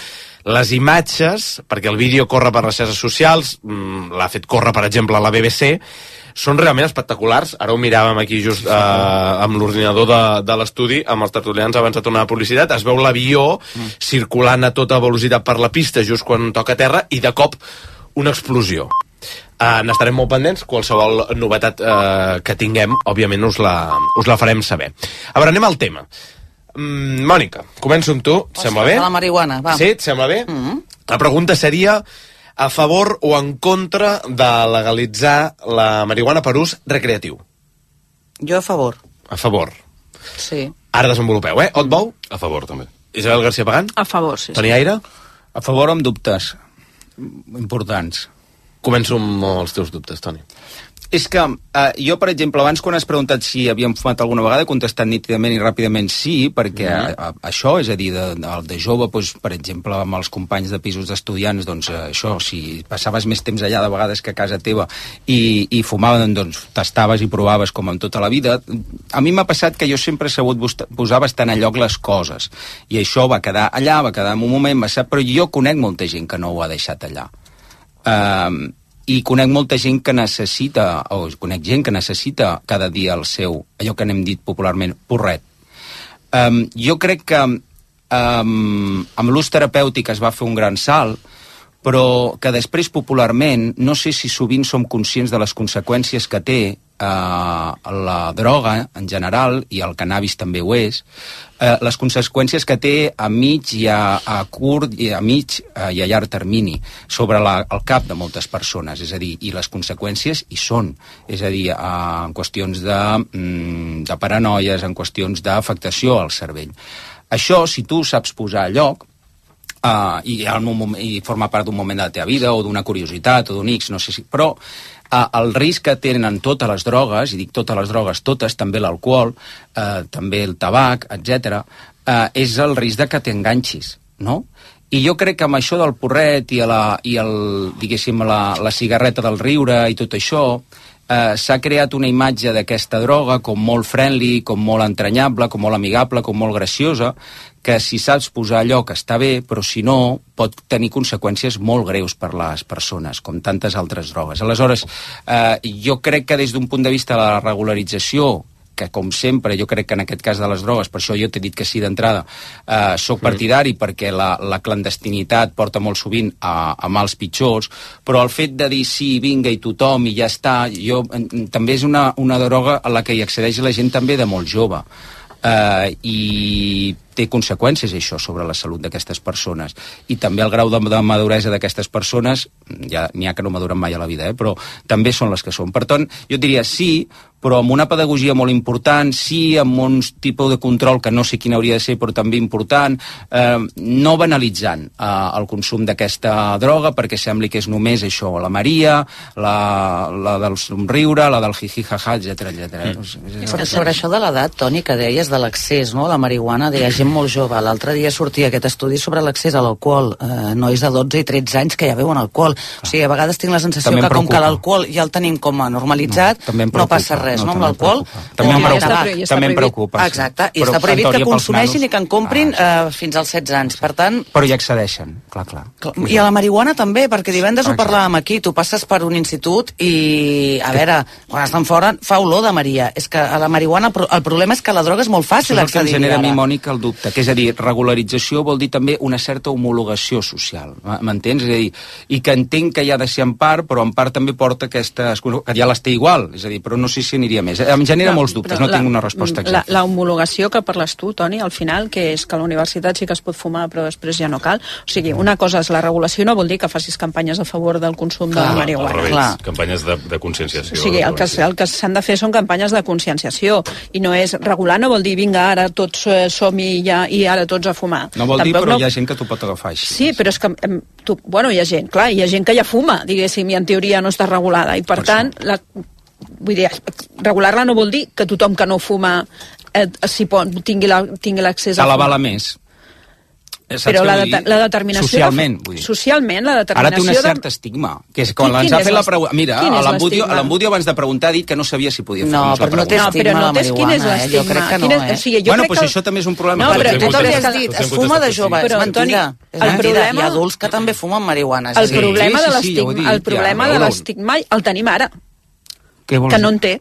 les imatges, perquè el vídeo corre per les xarxes socials, l'ha fet córrer, per exemple, a la B B C, són realment espectaculars. Ara ho miràvem aquí just eh, amb l'ordinador de, de l'estudi, amb els tertulians abans de tornar a publicitat. Es veu l'avió mm. circulant a tota velocitat per la pista just quan toca terra i de cop una explosió. Eh, N'estarem molt pendents. Qualsevol novetat eh, que tinguem, òbviament us la, us la farem saber. A veure, anem al tema. Mm, Mònica, començo amb tu. Ostres, sembla bé? La marihuana, va. Sí, et sembla bé? Mm -hmm. La pregunta seria: a favor o en contra de legalitzar la marihuana per ús recreatiu? Jo a favor. A favor. Sí. Ara desenvolupeu, eh? Otbou? A favor, també. Isabel García Pagán? A favor, sí. Toni Aire? A favor amb dubtes importants. Començo amb els teus dubtes, Toni. És que eh, jo, per exemple, abans quan has preguntat si havíem fumat alguna vegada, he contestat nítidament i ràpidament sí, perquè mm. a, a, això, és a dir, de, de, de jove, doncs, per exemple, amb els companys de pisos d'estudiants, doncs eh, això, si passaves més temps allà de vegades que a casa teva i, i fumaven, doncs tastaves i provaves com en tota la vida. A mi m'ha passat que jo sempre he sabut posar bastant a lloc les coses, i això va quedar allà, va quedar en un moment, va ser, però jo conec molta gent que no ho ha deixat allà. Uh, i conec molta gent que necessita, o conec gent que necessita cada dia el seu, allò que n'hem dit popularment, porret. Um, jo crec que um, amb l'ús terapèutic es va fer un gran salt, però que després popularment, no sé si sovint som conscients de les conseqüències que té Uh, la droga en general, i el cannabis també ho és, uh, les conseqüències que té a mig i a, a curt i a mig uh, i a llarg termini sobre la, el cap de moltes persones, és a dir, i les conseqüències hi són, és a dir, uh, en qüestions de, mm, de paranoies, en qüestions d'afectació al cervell. Això, si tu saps posar a lloc, uh, i, moment, i forma part d'un moment de la teva vida, o d'una curiositat, o d'un X, no sé si... Però Uh, el risc que tenen totes les drogues, i dic totes les drogues, totes, també l'alcohol, uh, també el tabac, etcètera, uh, és el risc de que t'enganxis, no? I jo crec que amb això del porret i, la, i el, diguéssim, la, la cigarreta del riure i tot això, uh, s'ha creat una imatge d'aquesta droga com molt friendly, com molt entranyable, com molt amigable, com molt graciosa, que si saps posar allò que està bé, però si no, pot tenir conseqüències molt greus per les persones, com tantes altres drogues. Aleshores, eh, jo crec que des d'un punt de vista de la regularització, que com sempre, jo crec que en aquest cas de les drogues, per això jo t'he dit que sí d'entrada, eh, soc partidari perquè la, la clandestinitat porta molt sovint a, a mals pitjors, però el fet de dir sí, vinga, i tothom, i ja està, jo, en, també és una, una droga a la que hi accedeix la gent també de molt jove. Uh, i té conseqüències això sobre la salut d'aquestes persones, i també el grau de, de maduresa d'aquestes persones, ja n'hi ha que no maduren mai a la vida, eh, però també són les que són. Per tant, jo diria sí, però amb una pedagogia molt important, sí, amb un tipus de control que no sé quin hauria de ser, però també important, eh, no banalitzant eh, el consum d'aquesta droga, perquè sembli que és només això, la Maria, la, la del somriure, la del jiji-jaja, etcètera, etcètera. Mm. Però sobre això de l'edat, Toni, que deies de l'accés, no?, la marihuana, deia gent molt jove. L'altre dia sortia aquest estudi sobre l'accés a l'alcohol. Eh, nois de dotze i tretze anys que ja beuen alcohol. O sigui, a vegades tinc la sensació que com que l'alcohol ja el tenim com a normalitzat, no, no passa res, no, no amb l'alcohol? També, em preocupa, també em preocupa. Exacte, i està prohibit que consumeixin i que en comprin ah, eh, fins als setze anys. Per tant... Però hi accedeixen, clar, clar. I a la marihuana també, perquè divendres ho parlàvem aquí, tu passes per un institut i, a veure, quan estan fora fa olor de Maria. És que a la marihuana el problema és que la droga és molt fàcil accedir-hi. Això és el que em genera a mi, Mònica, el dubte, que és a dir, regularització vol dir també una certa homologació social, m'entens? És a dir, i que entenc que hi ha de ser en part, però en part també porta aquestes... que ja les té igual, és a dir, però no sé si aniria més. Em genera no, molts dubtes, no la, tinc una resposta exacta. La, la homologació que parles tu, Toni, al final, que és que a la universitat sí que es pot fumar, però després ja no cal. O sigui, una cosa és la regulació, no vol dir que facis campanyes a favor del consum clar, de la marihuana. Al revés, clar. Campanyes de, de conscienciació. O sigui, el que, el que s'han de fer són campanyes de conscienciació, i no és regular, no vol dir, vinga, ara tots eh, som-hi ja, i ara tots a fumar. No vol Tampoc dir, però no... hi ha gent que t'ho pot agafar així. Sí, però és que, tu, bueno, hi ha gent, clar, hi ha gent que ja fuma, diguéssim, i en teoria no està regulada, i per, per tant, la, vull dir, regular-la no vol dir que tothom que no fuma eh, si pot, tingui l'accés la, a fumar. Cal avala més. Però la, de, la determinació... Socialment, vull dir. Socialment, la determinació... Ara té un cert estigma, que és quan ens ha fet la pregunta... Mira, l'Embudio abans de preguntar ha dit que no sabia si podia fer no, la pregunta. No, però no té estigma la marihuana, eh? Jo crec que no, eh? O sigui, jo bueno, crec doncs que... això també és un problema. No, però tu també has dit, es fuma de jove, és mentida. És mentida, hi ha adults que també fumen marihuana. El problema de l'estigma el problema de l'estigma el tenim ara, que no en té.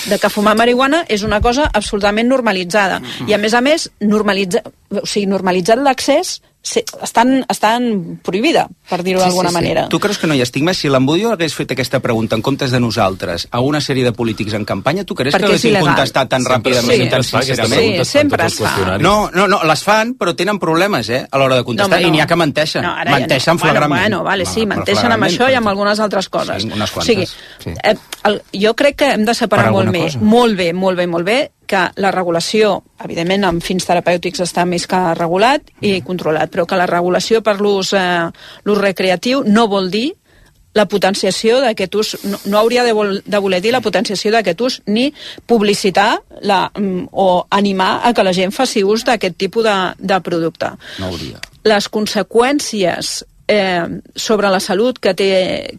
De que fumar marihuana és una cosa absolutament normalitzada. I a més a més, normalitza, o sigui, normalitzat l'accés estan, estan prohibida, per dir-ho sí, d'alguna sí, sí. manera. Tu creus que no hi ha estigma? Si l'Embudio hagués fet aquesta pregunta en comptes de nosaltres a una sèrie de polítics en campanya, tu creus Perquè que haguessin contestat tan sempre, ràpidament sí, i tan sincerament? Sí, sempre es fa. No, no, no, les fan, però tenen problemes, eh, a l'hora de contestar, no, no. i n'hi ha que menteixen. No, menteixen no. flagrament. Bueno, bueno, vale, sí, menteixen amb això i amb algunes altres coses. Sí, unes quantes. O sigui, sí. eh, el, jo crec que hem de separar molt bé, cosa? molt bé, molt bé, molt bé, que la regulació, evidentment, amb fins terapèutics està més que regulat i controlat, però que la regulació per l'ús eh, l'ús recreatiu no vol dir la potenciació d'aquest ús, no, no hauria de, vol, de voler dir la potenciació d'aquest ús, ni publicitar la, o animar a que la gent faci ús d'aquest tipus de, de producte. No hauria. Les conseqüències eh, sobre la salut que té,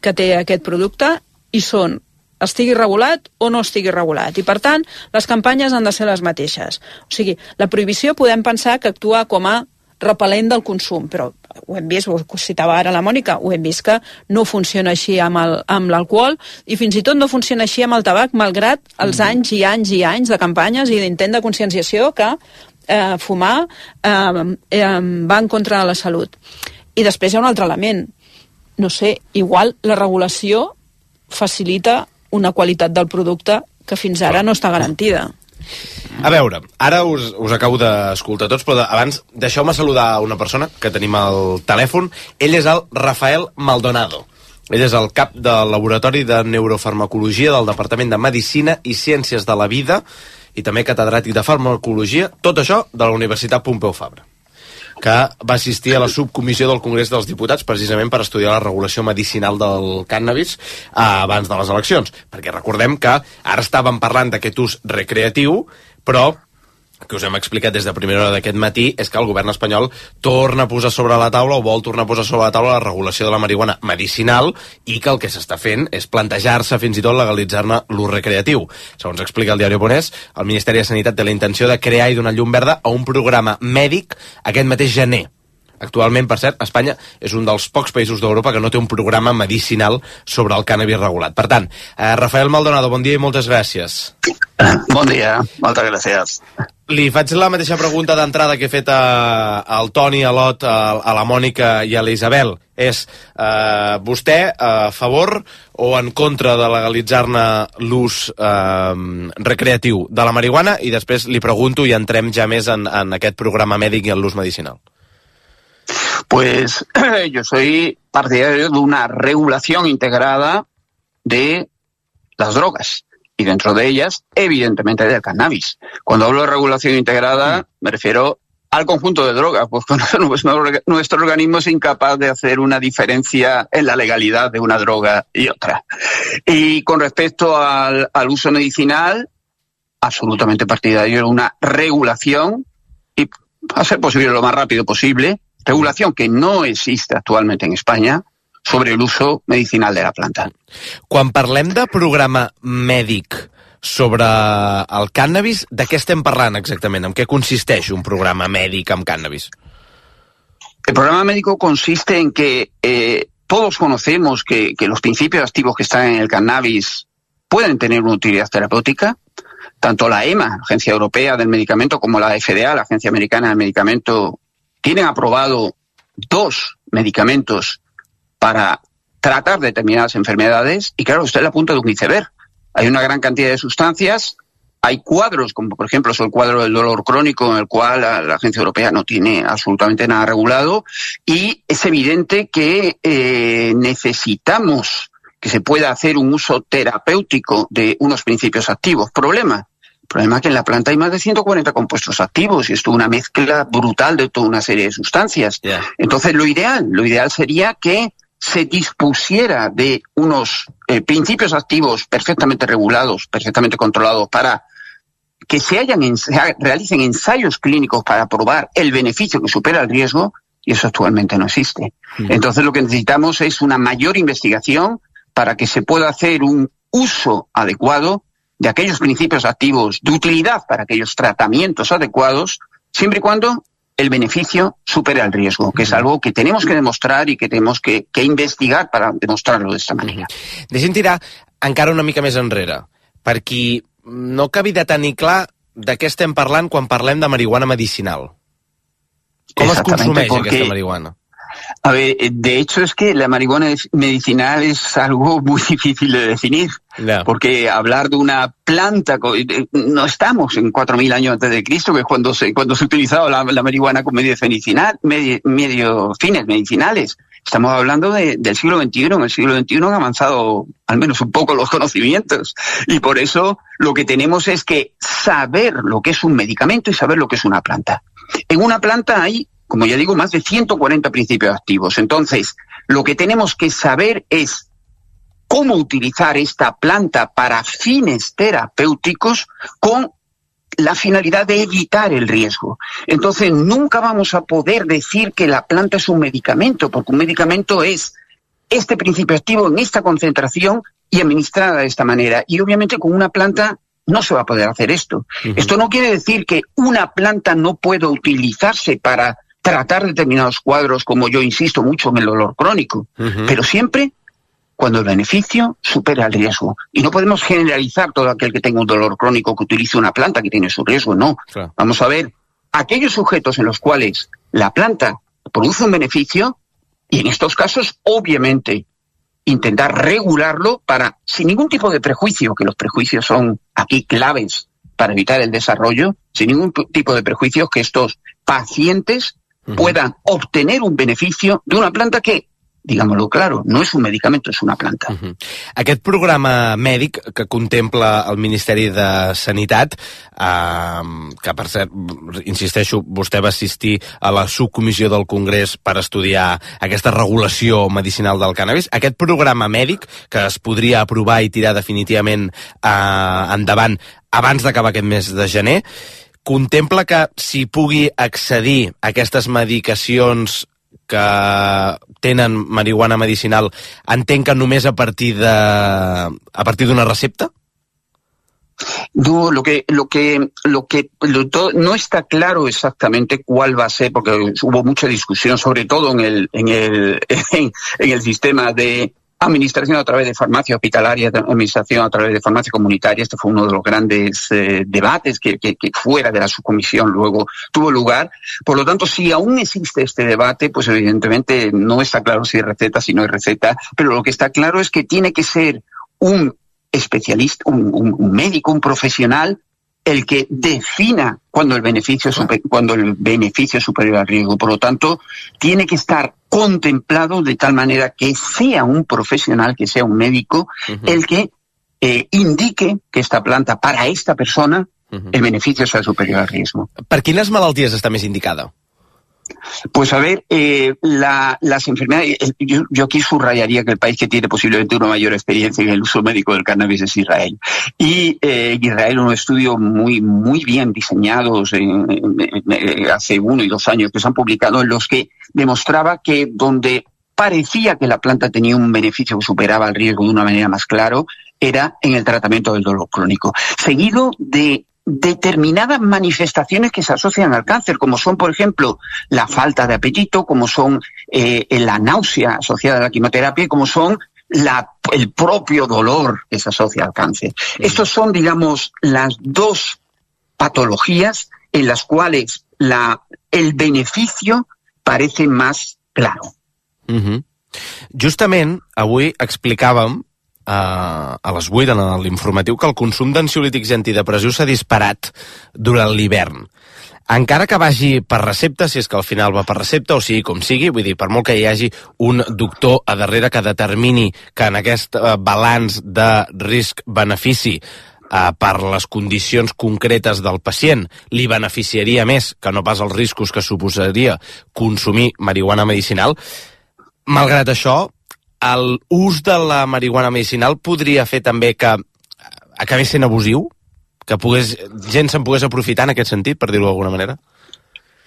que té aquest producte hi són estigui regulat o no estigui regulat. I, per tant, les campanyes han de ser les mateixes. O sigui, la prohibició podem pensar que actua com a repel·lent del consum, però ho hem vist, ho citava ara la Mònica, ho hem vist que no funciona així amb l'alcohol i fins i tot no funciona així amb el tabac, malgrat els anys i anys i anys de campanyes i d'intent de conscienciació que eh, fumar eh, eh, va en contra de la salut. I després hi ha un altre element. No sé, igual la regulació facilita una qualitat del producte que fins ara no està garantida. A veure, ara us, us acabo d'escoltar tots, però abans deixeu-me saludar una persona que tenim al telèfon. Ell és el Rafael Maldonado. Ell és el cap del Laboratori de Neurofarmacologia del Departament de Medicina i Ciències de la Vida i també catedràtic de Farmacologia, tot això de la Universitat Pompeu Fabra, que va assistir a la subcomissió del Congrés dels Diputats precisament per estudiar la regulació medicinal del cànnabis eh, abans de les eleccions. Perquè recordem que ara estàvem parlant d'aquest ús recreatiu, però que us hem explicat des de primera hora d'aquest matí és que el govern espanyol torna a posar sobre la taula o vol tornar a posar sobre la taula la regulació de la marihuana medicinal i que el que s'està fent és plantejar-se fins i tot legalitzar-ne l'ús recreatiu. Segons explica el diari Ponès, el Ministeri de Sanitat té la intenció de crear i donar llum verda a un programa mèdic aquest mateix gener. Actualment, per cert, Espanya és un dels pocs països d'Europa que no té un programa medicinal sobre el cànnabis regulat. Per tant, eh, Rafael Maldonado, bon dia i moltes gràcies. Bon dia, moltes gràcies. Li faig la mateixa pregunta d'entrada que he fet a, al Toni, a l'Ot, a, a la Mònica i a la Isabel. És, eh, vostè a favor o en contra de legalitzar-ne l'ús eh, recreatiu de la marihuana? I després li pregunto i entrem ja més en, en aquest programa mèdic i en l'ús medicinal. Pues yo soy partidario de una regulación integrada de las drogas y dentro de ellas, evidentemente, del cannabis. Cuando hablo de regulación integrada, me refiero al conjunto de drogas, pues nuestro organismo es incapaz de hacer una diferencia en la legalidad de una droga y otra. Y con respecto al, al uso medicinal, absolutamente partidario de una regulación y, a ser posible, lo más rápido posible, regulación que no existe actualmente en España sobre el uso medicinal de la planta. Quan parlem de programa mèdic sobre el cànnabis, de què estem parlant exactament? En què consisteix un programa mèdic amb cànnabis? El programa médico consiste en que eh, todos conocemos que, que los principios activos que están en el cannabis pueden tener una utilidad terapéutica. Tanto la EMA, la Agencia Europea del Medicamento, como la F D A, la Agencia Americana del Medicamento, tienen aprobado dos medicamentos para tratar determinadas enfermedades y claro, usted es la punta de un iceberg. Hay una gran cantidad de sustancias, hay cuadros, como por ejemplo es el cuadro del dolor crónico, en el cual la, la Agencia Europea no tiene absolutamente nada regulado y es evidente que eh, necesitamos que se pueda hacer un uso terapéutico de unos principios activos. Problema. El problema es que en la planta hay más de ciento cuarenta compuestos activos y esto es una mezcla brutal de toda una serie de sustancias. Yeah. Entonces, lo ideal, lo ideal sería que se dispusiera de unos eh, principios activos perfectamente regulados, perfectamente controlados para que se hayan ensa- realicen ensayos clínicos para probar el beneficio que supera el riesgo, y eso actualmente no existe. Mm. Entonces lo que necesitamos es una mayor investigación para que se pueda hacer un uso adecuado de aquellos principios activos de utilidad para aquellos tratamientos adecuados, siempre y cuando el beneficio supera el riesgo, que és algo que tenemos que demostrar i que tenemos que, que investigar para demostrarlo de esta manera. Deixem tirar encara una mica més enrere, per qui no acabi de tenir clar de què estem parlant quan parlem de marihuana medicinal. Com es consumeix porque... aquesta marihuana? A ver, de hecho es que la marihuana medicinal es algo muy difícil de definir, no. porque hablar de una planta, no estamos en cuatro mil años antes de Cristo, que es cuando se, cuando se utilizaba la, la marihuana con medios medicinal, medio, medio fines medicinales. Estamos hablando de, del siglo veintiuno. En el siglo veintiuno han avanzado al menos un poco los conocimientos, y por eso lo que tenemos es que saber lo que es un medicamento y saber lo que es una planta. En una planta hay, como ya digo, más de ciento cuarenta principios activos. Entonces, lo que tenemos que saber es cómo utilizar esta planta para fines terapéuticos con la finalidad de evitar el riesgo. Entonces, nunca vamos a poder decir que la planta es un medicamento, porque un medicamento es este principio activo en esta concentración y administrada de esta manera. Y obviamente con una planta no se va a poder hacer esto. Uh-huh. Esto no quiere decir que una planta no pueda utilizarse para tratar determinados cuadros, como yo insisto mucho en el dolor crónico, uh-huh. pero siempre cuando el beneficio supera el riesgo. Y no podemos generalizar todo aquel que tenga un dolor crónico que utilice una planta que tiene su riesgo, no. Claro. Vamos a ver aquellos sujetos en los cuales la planta produce un beneficio, y en estos casos, obviamente, intentar regularlo para, sin ningún tipo de prejuicio, que los prejuicios son aquí claves para evitar el desarrollo, sin ningún tipo de prejuicios, que estos pacientes uh-huh. puedan obtener un beneficio de una planta que, digámoslo claro, no és un medicament, és una planta. Uh-huh. Aquest programa mèdic que contempla el Ministeri de Sanitat, eh, que per cert, insisteixo, vostè va assistir a la subcomissió del Congrés per estudiar aquesta regulació medicinal del cànnabis, aquest programa mèdic que es podria aprovar i tirar definitivament eh, endavant abans d'acabar aquest mes de gener, contempla que s'hi pugui accedir a aquestes medicacions que tenen marihuana medicinal, entenc que només a partir de a partir d'una recepta? No, lo que lo que lo que lo, todo, no está claro exactamente cuál va a ser, porque hubo mucha discusión, sobre todo en el en el en, en el sistema de administración a través de farmacia hospitalaria, administración a través de farmacia comunitaria. Este fue uno de los grandes eh, debates que, que, que fuera de la subcomisión luego tuvo lugar. Por lo tanto, si aún existe este debate, pues evidentemente no está claro si hay receta, si no hay receta, pero lo que está claro es que tiene que ser un especialista, un, un, un médico, un profesional, el que defina cuando el beneficio super, cuando el beneficio es superior al riesgo. Por lo tanto, tiene que estar contemplado de tal manera que sea un profesional, que sea un médico, uh-huh. el que eh, indique que esta planta para esta persona uh-huh. el beneficio sea superior al riesgo. Per quines malalties està més indicada? Pues a ver, eh, la, las enfermedades, yo, yo aquí subrayaría que el país que tiene posiblemente una mayor experiencia en el uso médico del cannabis es Israel. Y eh, Israel, unos estudios muy muy bien diseñados en, en, en, hace uno y dos años que se han publicado, en los que demostraba que donde parecía que la planta tenía un beneficio que superaba el riesgo de una manera más clara, era en el tratamiento del dolor crónico, seguido de determinadas manifestaciones que se asocian al cáncer, como son, por ejemplo, la falta de apetito, como son eh, la náusea asociada a la quimioterapia y como son la, el propio dolor que se asocia al cáncer. Uh-huh. Estos son, digamos, las dos patologías en las cuales la, el beneficio parece más claro. Uh-huh. Justament, avui explicàvem a les vuit en l'informatiu que el consum d'ansiolítics i antidepressius s'ha disparat durant l'hivern. Encara que vagi per recepta, si és que al final va per recepta, o sigui com sigui, vull dir, per molt que hi hagi un doctor a darrere que determini que en aquest balanç de risc-benefici eh, per les condicions concretes del pacient li beneficiaria més que no pas els riscos que suposaria consumir marihuana medicinal, malgrat això, el ús de la marihuana medicinal podria fer també que acabés sent abusiu? que pogués, gent se'n pogués aprofitar en aquest sentit, per dir-ho d'alguna manera?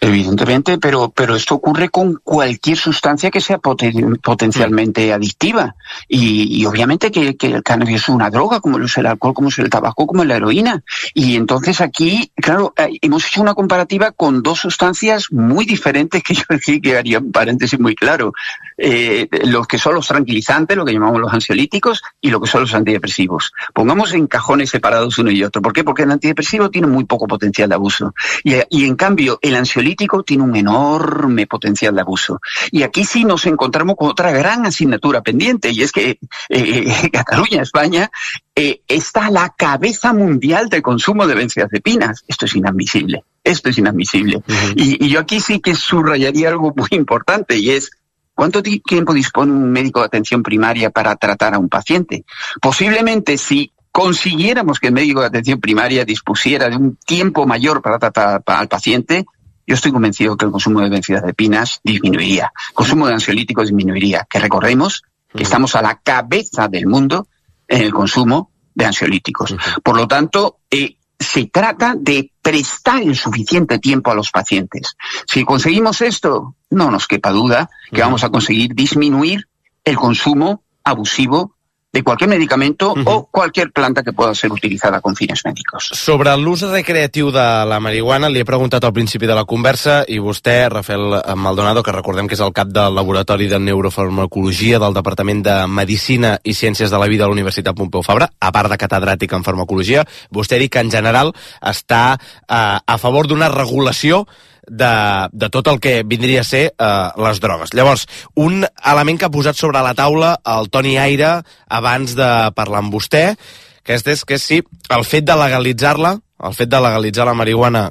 Evidentemente, pero, pero esto ocurre con cualquier sustancia que sea poten, potencialmente adictiva. Y, y obviamente que, que el cannabis es una droga, como lo es el alcohol, como es el tabaco, como es la heroína. Y entonces aquí, claro, hemos hecho una comparativa con dos sustancias muy diferentes, que yo aquí que haría un paréntesis muy claro. Eh, los que son los tranquilizantes, lo que llamamos los ansiolíticos, y lo que son los antidepresivos. Pongamos en cajones separados uno y otro. ¿Por qué? Porque el antidepresivo tiene muy poco potencial de abuso. Y, y en cambio, el ansiolítico tiene un enorme potencial de abuso. Y aquí sí nos encontramos con otra gran asignatura pendiente, y es que eh, Cataluña, España, eh, está a la cabeza mundial de consumo de benzodiazepinas. Esto es inadmisible. Esto es inadmisible. Uh-huh. y, y yo aquí sí que subrayaría algo muy importante, y es ¿cuánto tiempo dispone un médico de atención primaria para tratar a un paciente? Posiblemente si consiguiéramos que el médico de atención primaria dispusiera de un tiempo mayor para tratar al paciente, yo estoy convencido que el consumo de benzodiazepinas disminuiría, el consumo de ansiolíticos disminuiría, que recordemos que estamos a la cabeza del mundo en el consumo de ansiolíticos. Por lo tanto, eh, se trata de prestar el suficiente tiempo a los pacientes. Si conseguimos esto, no nos quepa duda que vamos a conseguir disminuir el consumo abusivo de cualquier medicamento uh-huh. o cualquier planta que pueda ser utilizada con fines médicos. Sobre l'ús recreatiu de la marihuana, li he preguntat al principi de la conversa i vostè, Rafael Maldonado, que recordem que és el cap del Laboratori de Neurofarmacologia del Departament de Medicina i Ciències de la Vida de la Universitat Pompeu Fabra, a part de catedràtic en farmacologia, vostè ha dit que en general està eh, a favor d'una regulació De, de tot el que vindria a ser eh, les drogues. Llavors, un element que ha posat sobre la taula el Toni Aire abans de parlar amb vostè, que és, que és si el fet de legalitzar-la, el fet de legalitzar la marihuana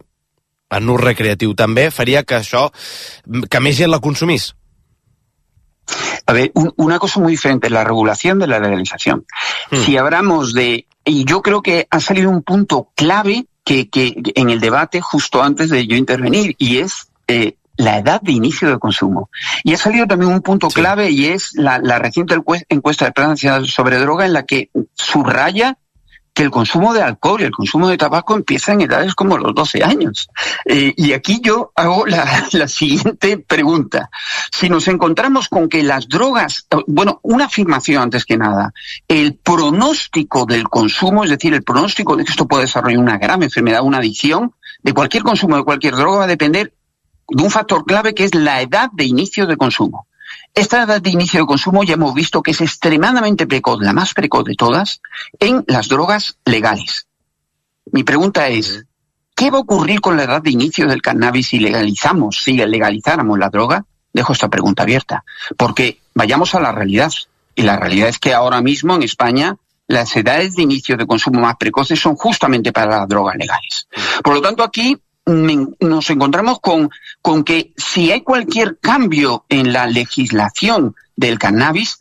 en ús recreatiu també, faria que això, que més gent la consumís. A ver, un, una cosa muy diferente, la regulación de la legalización. Hmm. Si hablamos de, y yo creo que ha salido un punto clave Que, que en el debate justo antes de yo intervenir, y es eh, la edad de inicio de consumo. Y ha salido también un punto sí. clave, y es la, la reciente encuesta de Plan Nacional sobre Droga, en la que subraya que el consumo de alcohol y el consumo de tabaco empieza en edades como los doce años. Eh, y aquí yo hago la, la siguiente pregunta. Si nos encontramos con que las drogas, bueno, una afirmación antes que nada, el pronóstico del consumo, es decir, el pronóstico de que esto puede desarrollar una grave enfermedad, una adicción, de cualquier consumo de cualquier droga va a depender de un factor clave que es la edad de inicio de consumo. Esta edad de inicio de consumo ya hemos visto que es extremadamente precoz, la más precoz de todas, en las drogas legales. Mi pregunta es, ¿qué va a ocurrir con la edad de inicio del cannabis si legalizamos, si legalizáramos la droga? Dejo esta pregunta abierta, porque vayamos a la realidad. Y la realidad es que ahora mismo en España las edades de inicio de consumo más precoces son justamente para las drogas legales. Por lo tanto, aquí nos encontramos con, con que si hay cualquier cambio en la legislación del cannabis,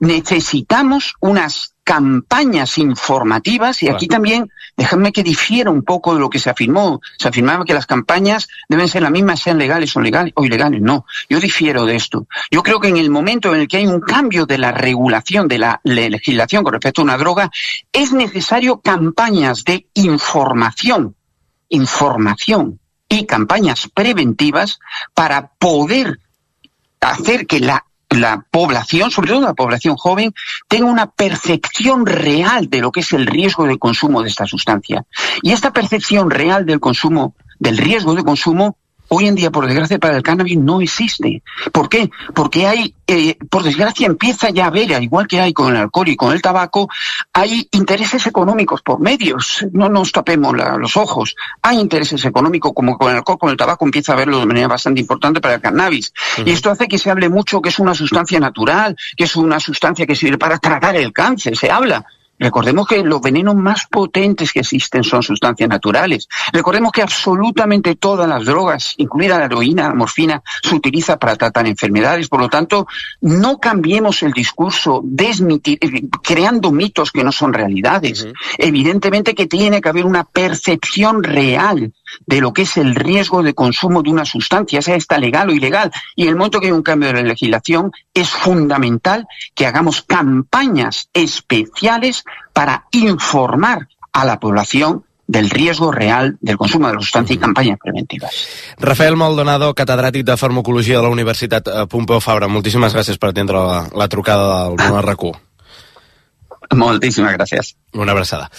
necesitamos unas campañas informativas, y aquí también, déjame que difiera un poco de lo que se afirmó. Se afirmaba que las campañas deben ser las mismas, sean legales o, legales, o ilegales. No, yo difiero de esto. Yo creo que en el momento en el que hay un cambio de la regulación, de la legislación con respecto a una droga, es necesario campañas de información información y campañas preventivas para poder hacer que la, la población, sobre todo la población joven, tenga una percepción real de lo que es el riesgo de consumo de esta sustancia. Y esta percepción real del consumo, del riesgo de consumo, hoy en día, por desgracia, para el cannabis no existe. ¿Por qué? Porque hay, eh, por desgracia, empieza ya a haber, al igual que hay con el alcohol y con el tabaco, hay intereses económicos por medios. No nos tapemos la, los ojos. Hay intereses económicos, como con el alcohol, con el tabaco, empieza a haberlo de manera bastante importante para el cannabis. Uh-huh. Y esto hace que se hable mucho que es una sustancia natural, que es una sustancia que sirve para tratar el cáncer. Se habla. Recordemos que los venenos más potentes que existen son sustancias naturales. Recordemos que absolutamente todas las drogas, incluida la heroína, la morfina, se utiliza para tratar enfermedades. Por lo tanto, no cambiemos el discurso desmitir, creando mitos que no son realidades. Uh-huh. Evidentemente que tiene que haber una percepción real de lo que es el riesgo de consumo de una sustancia, sea esta legal o ilegal. Y en el momento que hay un cambio de la legislación, es fundamental que hagamos campañas especiales para informar a la población del riesgo real del consumo de la sustancia y campañas preventivas. Rafael Maldonado, catedràtic de Farmacologia de la Universitat Pompeu Fabra, moltíssimes gràcies per atendre la, la trucada del Bon R Q. Moltíssimes gràcies. Una abraçada.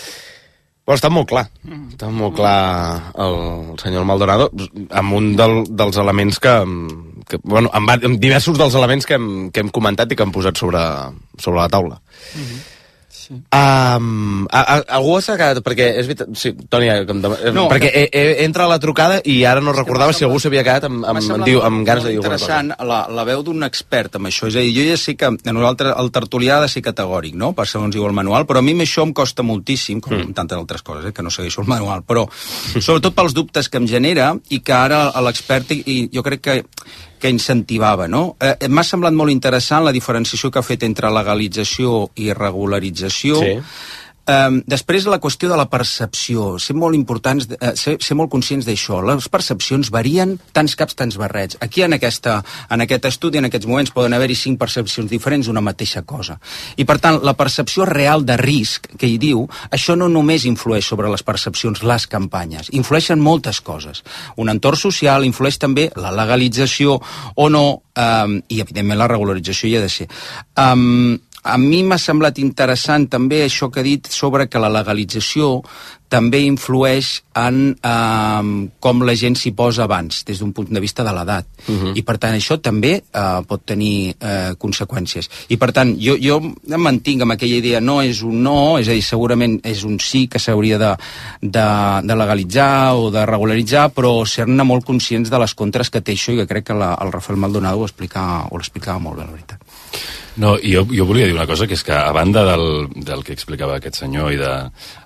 Però està molt clar, està molt clar el, el senyor Maldonado, amb un del, dels elements que, que bueno, amb, amb diversos dels elements que hem, que hem comentat i que hem posat sobre, sobre la taula. Mm-hmm. Sí. Um, a, a, algú s'ha quedat, perquè és veritat, sí, Toni, no, perquè que... e, e, entra a la trucada i ara no recordava si algú s'havia quedat amb, amb, amb, amb, amb ganes de dir alguna cosa. Interessant la, la veu d'un expert amb això, és a dir, jo ja sé que a nosaltres el tertulià ha de ser categòric, no?, per segons diu el manual, però a mi això em costa moltíssim, com mm. tantes altres coses, eh, que no segueixo el manual, però sobretot pels dubtes que em genera i que ara l'expert, i jo crec que que incentivava, no? Eh, M'ha semblat molt interessant la diferenciació que ha fet entre legalització i regularització. Sí. Um, després la qüestió de la percepció, ser molt importants, uh, ser, ser molt conscients d'això. Les percepcions varien tants caps, tants barrets. Aquí en, aquesta, en aquest estudi, en aquests moments, poden haver-hi cinc percepcions diferents d'una mateixa cosa. I per tant, la percepció real de risc, que hi diu, això no només influeix sobre les percepcions, les campanyes, influeixen moltes coses. Un entorn social, influeix també la legalització o no, um, i evidentment la regularització hi ha de ser. Um, A mi m'ha semblat interessant també això que ha dit sobre que la legalització també influeix en eh, com la gent s'hi posa abans, des d'un punt de vista de l'edat. Uh-huh. I per tant això també eh, pot tenir eh, conseqüències. I per tant jo, jo em mantinc amb aquella idea, no és un no, és a dir, segurament és un sí que s'hauria de, de, de legalitzar o de regularitzar, però ser-ne molt conscients de les contres que té això, i que crec que la, el Rafael Maldonado ho explicava, ho explicava molt bé, la veritat. No, jo, jo volia dir una cosa, que és que a banda del, del que explicava aquest senyor i, de,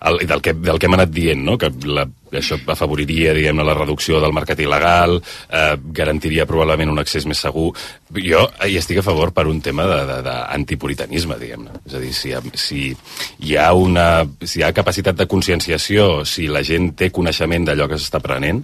el, i del, que, del que hem anat dient, no? Que la, això afavoriria, diguem-ne, la reducció del mercat il·legal, eh, garantiria probablement un accés més segur, jo hi estic a favor per un tema d'antipuritanisme, diguem-ne. És a dir, si, si, hi ha una, si hi ha capacitat de conscienciació, si la gent té coneixement d'allò que s'està prenent,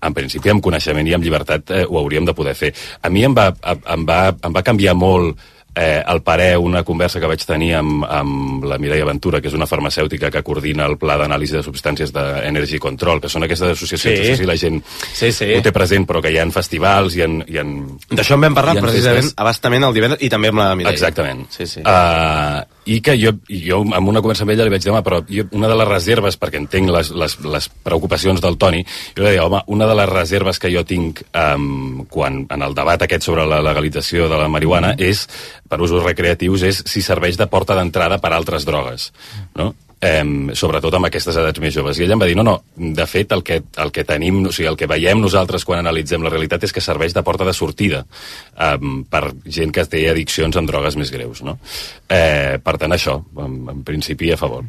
en principi amb coneixement i amb llibertat eh, ho hauríem de poder fer. A mi em va, em va, em va canviar molt Eh, el parer, una conversa que vaig tenir amb, amb la Mireia Ventura, que és una farmacèutica que coordina el Pla d'Anàlisi de Substàncies d'Energy Control, que són aquestes associacions, sí. No sé si la gent sí, sí. ho té present, però que hi ha festivals i en... I en D'això en vam parlar precisament festes. Abastament el divendres i també amb la Mireia. Exactament. Sí, sí. Uh, I que jo, jo, amb una conversa amb ella li vaig dir, home, però jo, una de les reserves, perquè entenc les, les, les preocupacions del Toni, jo li deia, home, una de les reserves que jo tinc um, quan, en el debat aquest sobre la legalització de la marihuana mm. és, per usos recreatius, és si serveix de porta d'entrada per altres drogues, no? Eh, sobretot amb aquestes edats més joves. I ella em va dir, no, no, de fet el que, el que tenim, o sigui, el que veiem nosaltres quan analitzem la realitat és que serveix de porta de sortida eh, per gent que té addiccions amb drogues més greus, no? Eh, per tant, això, en, en principi a favor.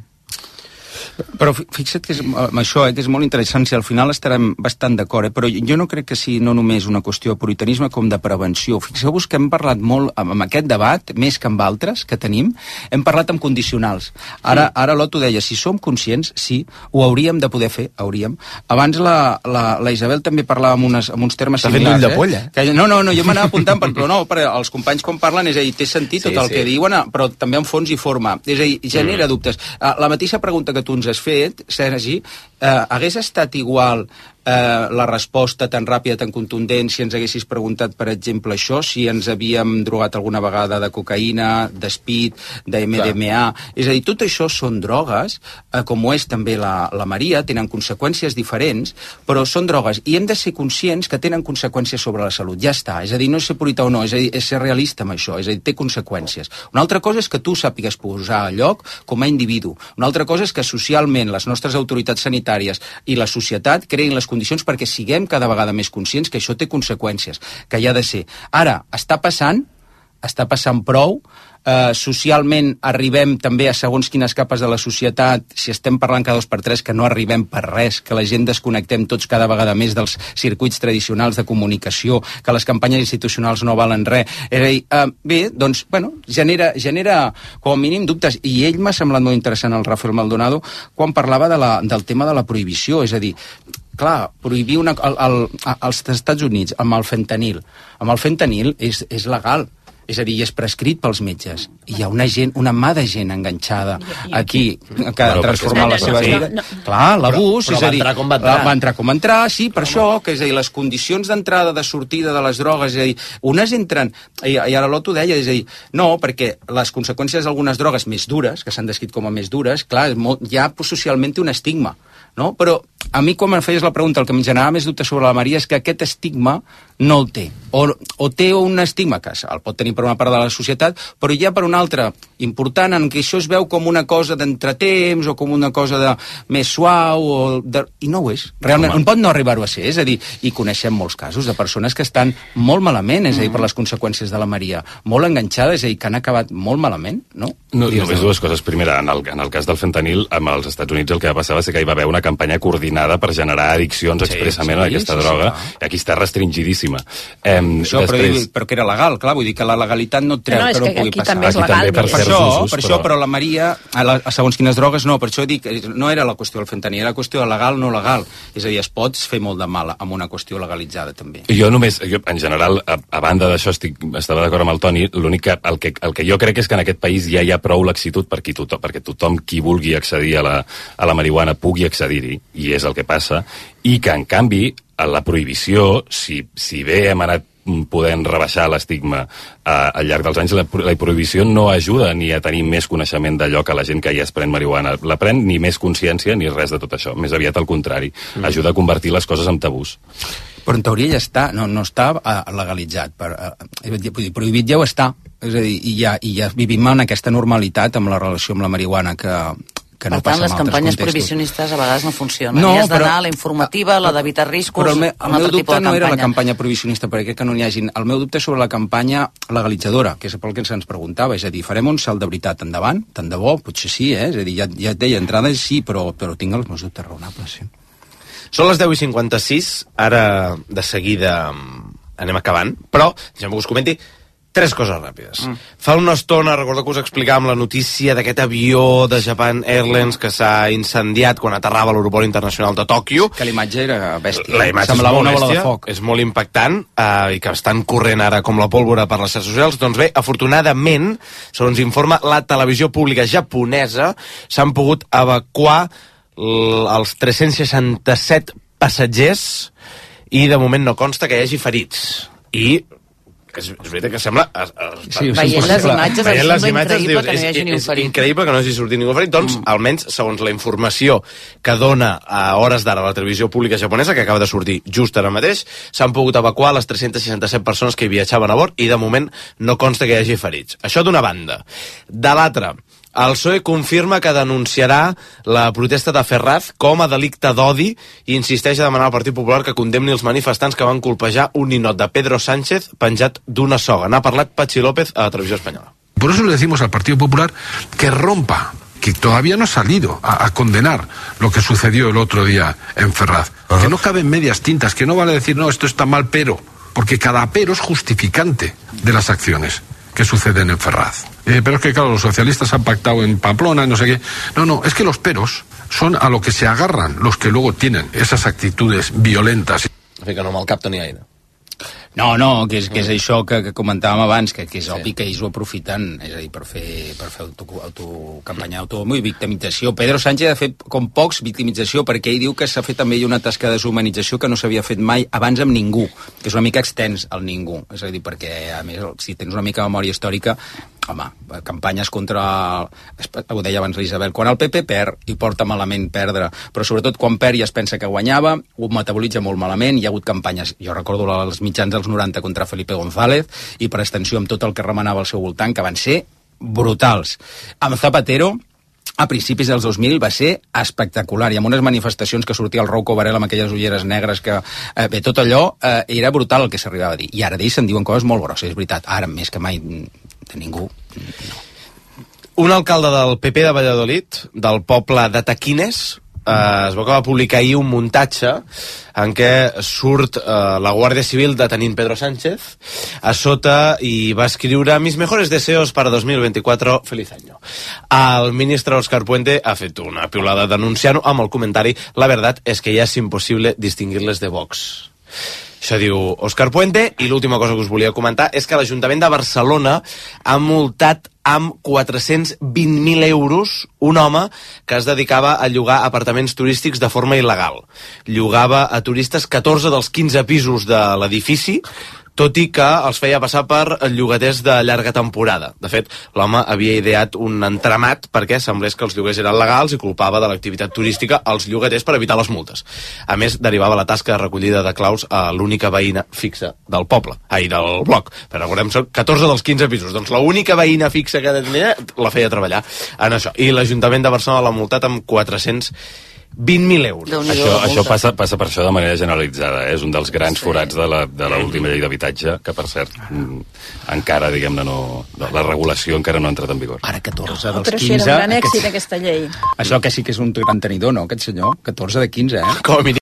Però fixa't que és, amb això, eh, que és molt interessant, si al final estarem bastant d'acord, eh, però jo no crec que sigui no només una qüestió de puritanisme com de prevenció. Fixeu-vos que hem parlat molt, amb aquest debat, més que amb altres que tenim, hem parlat amb condicionals. Ara, sí. ara l'Otto deia, si som conscients, sí, ho hauríem de poder fer, hauríem. Abans la, la, la Isabel també parlava amb, unes, amb uns termes similars. T'ha fet l'ull de polla. Eh? Que, no, no, no, jo m'anava apuntant, però no, perquè els companys quan parlen, és a dir, té sentit tot sí, el sí. que diuen, però també en fons i forma. És a dir, genera mm. dubtes. La mateixa pregunta que tu ens has fet, Sergi, eh, hagués estat igual eh, la resposta tan ràpida, tan contundent, si ens haguessis preguntat, per exemple, això, si ens havíem drogat alguna vegada de cocaïna, d'espid, de eme de eme a... És a dir, tot això són drogues, eh, com ho és també la, la Maria, tenen conseqüències diferents, però són drogues, i hem de ser conscients que tenen conseqüències sobre la salut. Ja està, és a dir, no és ser purità o no, és a dir, és ser realista amb això, és a dir, té conseqüències. Una altra cosa és que tu sàpigues posar a lloc com a individu. Una altra cosa és que socialment les nostres autoritats sanitàries i la societat creïn les condicions perquè siguem cada vegada més conscients que això té conseqüències, que hi ha de ser. Ara, està passant, està passant prou, eh, socialment arribem també a segons quines capes de la societat, si estem parlant cada dos per tres, que no arribem per res, que la gent desconnectem tots cada vegada més dels circuits tradicionals de comunicació, que les campanyes institucionals no valen res. És a dir, eh, bé, doncs, bueno, genera, genera com a mínim dubtes, i ell m'ha semblat molt interessant, el Rafael Maldonado, quan parlava de la, del tema de la prohibició, és a dir, clar, prohibir una, el, el, als Estats Units amb el fentanil. Amb el fentanil és, és legal. És a dir, és prescrit pels metges. I hi ha una gent, una mà de gent enganxada aquí, que ha transformat la seva vida. Clar, l'abús, és a dir, va entrar com va entrar. Va entrar com va entrar, sí, per això, que és a dir, les condicions d'entrada, de sortida de les drogues, és a dir, unes entren, i, i ara l'Otto deia, és a dir, no, perquè les conseqüències d'algunes drogues més dures, que s'han descrit com a més dures, clar, molt, ja socialment té un estigma, no? Però a mi, quan em feies la pregunta, el que em generava més dubte sobre la Maria és que aquest estigma no el té. O, o té un estigma que el pot tenir per una part de la societat, però ja per una altra important, en què això es veu com una cosa d'entretemps o com una cosa de més suau, o de, i no ho és. Realment, on pot no arribar-ho a ser. És a dir, i coneixem molts casos de persones que estan molt malament, és a dir, per les conseqüències de la Maria, molt enganxades, és a dir, que han acabat molt malament, no? No, només dues coses. Primera, en el, en el cas del fentanil, amb els Estats Units el que va passar va ser que hi va haver una campanya coordinada per generar addiccions sí, expressament sí, a aquesta sí, droga, sí, i aquí està restringidíssima. Eh, això, després... però, però que era legal, clar, vull dir que la legalitat no treu no, no, que no pugui aquí passar. També és legal, també per, per això, usos, per això, però la Maria, a, la, a segons quines drogues, no, per això dic, no era la qüestió del fentanil, era la qüestió de legal no legal. És a dir, es pots fer molt de mal amb una qüestió legalitzada, també. Jo només, jo, en general, a, a banda d'això, estic, estava d'acord amb el Toni, l'únic que el, que el que jo crec és que en aquest país ja hi ha prou laxitud perquè tothom, perquè tothom qui vulgui accedir a la, a la marihuana pugui accedir-hi, i és el que passa, i que, en canvi, a la prohibició, si, si bé hem anat podent rebaixar l'estigma eh, al llarg dels anys, la, la prohibició no ajuda ni a tenir més coneixement d'allò que la gent que ja es pren marihuana la pren, ni més consciència ni res de tot això, més aviat al contrari, mm. ajuda a convertir les coses en tabús. Però en teoria ja està, no, no està uh, legalitzat, per, uh, prohibit ja ho està, és a dir, i ja, i ja vivim en aquesta normalitat amb la relació amb la marihuana que, que no per tant, passa en les altres campanyes contextos. prohibicionistes a vegades no funcionen. No, I has d'anar però, a la informativa, la d'evitar riscos, però el, me, el meu dubte no era la campanya. campanya prohibicionista, perquè que no n'hi hagin. El meu dubte és sobre la campanya legalitzadora, que és pel que se'ns preguntava, és a dir, farem un salt de veritat endavant, tant de bo, potser sí, eh? És a dir, ja, ja et deia, entrades sí, però, però tinc els meus dubtes raonables, sí. Són les deu i cinquanta-sis, ara de seguida anem acabant, però, deixem que us comenti tres coses ràpides. Mm. Fa una estona, recordo que us explicàvem la notícia d'aquest avió de Japan Airlines que s'ha incendiat quan aterrava a l'aeroport internacional de Tòquio. Que l'imatge era bèstia. La imatge semblava és una bèstia, bola de foc. És molt impactant, eh, i que estan corrent ara com la pólvora per les xarxes socials. Doncs bé, afortunadament, segons informa la televisió pública japonesa, s'han pogut evacuar els tres-cents seixanta-set passatgers i de moment no consta que hi hagi ferits. I és, és veritat que sembla... Es, es, sí, veient les imatges, veient les imatges dius, que no hi hagi ni un ferit. És increïble que no hagi sortit ningú ferit. Doncs, mm. almenys, segons la informació que dona a hores d'ara la televisió pública japonesa, que acaba de sortir just ara mateix, s'han pogut evacuar les tres-cents seixanta-set persones que hi viatjaven a bord i, de moment, no consta que hi hagi ferits. Això d'una banda. De l'altra, el P S O E confirma que denunciarà la protesta de Ferraz com a delicte d'odi i insisteix a demanar al Partit Popular que condemni els manifestants que van colpejar un ninot de Pedro Sánchez penjat d'una soga. N'ha parlat Patxi López a la televisió espanyola. Por eso le decimos al Partido Popular que rompa, que todavía no ha salido a, a condenar lo que sucedió el otro día en Ferraz. Uh-huh. Que no caben medias tintas, que no vale decir, no, esto está mal, pero, porque cada pero es justificante de las acciones que suceden en Ferraz. Eh, pero es que, claro, los socialistas han pactado en Pamplona, no sé qué. No, no, es que los peros son a lo que se agarran los que luego tienen esas actitudes violentas. Fica no amb el cap Toni Aina. No, no, que és, que és això que, que comentàvem abans, que, que és sí. obvi que ells ho aprofiten, és a dir, per fer, per fer auto, auto, campanya d'autohomio i victimització. Pedro Sánchez ha fet com pocs victimització, perquè ell diu que s'ha fet també una tasca de deshumanització que no s'havia fet mai abans amb ningú, que és una mica extens el ningú, és a dir, perquè a més, si tens una mica de memòria històrica, home, campanyes contra, ho deia abans l'Isabel, quan el P P perd i porta malament perdre, però sobretot quan perd i es pensa que guanyava, ho metabolitza molt malament, hi ha hagut campanyes, jo recordo els mitjans dels noranta contra Felipe González i per extensió amb tot el que remenava al seu voltant, que van ser brutals. Amb Zapatero, a principis dels dos mil va ser espectacular, i amb unes manifestacions que sortia el Rouco Varela amb aquelles ulleres negres que, eh, bé, tot allò eh, era brutal el que s'arribava a dir, i ara d'ells se'n diuen coses molt grosses, és veritat, ara més que mai de ningú, no. Un alcalde del P P de Valladolid, del poble de Taquines, eh, es veu que va publicar ahir un muntatge en què surt eh, la Guàrdia Civil detenint Pedro Sánchez a sota, i va escriure mis mejores deseos para dos mil veinticuatro, feliz año. El ministre Óscar Puente ha fet una piulada denunciant-ho amb el comentari la verdad es que ya es imposible distinguirles de Vox. Això diu Òscar Puente. I l'última cosa que us volia comentar és que l'Ajuntament de Barcelona ha multat amb quatre-cents vint mil euros un home que es dedicava a llogar apartaments turístics de forma il·legal. Llogava a turistes catorze dels quinze pisos de l'edifici, tot i que els feia passar per llogaters de llarga temporada. De fet, l'home havia ideat un entramat perquè semblés que els lloguers eren legals i culpava de l'activitat turística als llogaters per evitar les multes. A més, derivava la tasca de recollida de claus a l'única veïna fixa del poble, ai, del bloc. Però recordem, són catorze dels quinze pisos. Doncs l'única veïna fixa que tenia la feia treballar en això. I l'Ajuntament de Barcelona l'ha multat amb quatre-cents vint mil euros. Això, això passa, passa per això de manera generalitzada, eh? És un dels grans sí. forats de la, de l'última llei d'habitatge, que per cert, encara, diguem-ne, no, la regulació encara no ha entrat en vigor. Ara catorze dels Però quinze... Però si era un gran èxit, aquest... aquesta llei. Això que sí que és un gran tenidor, no, aquest senyor? catorze de quinze, eh? Com a mínim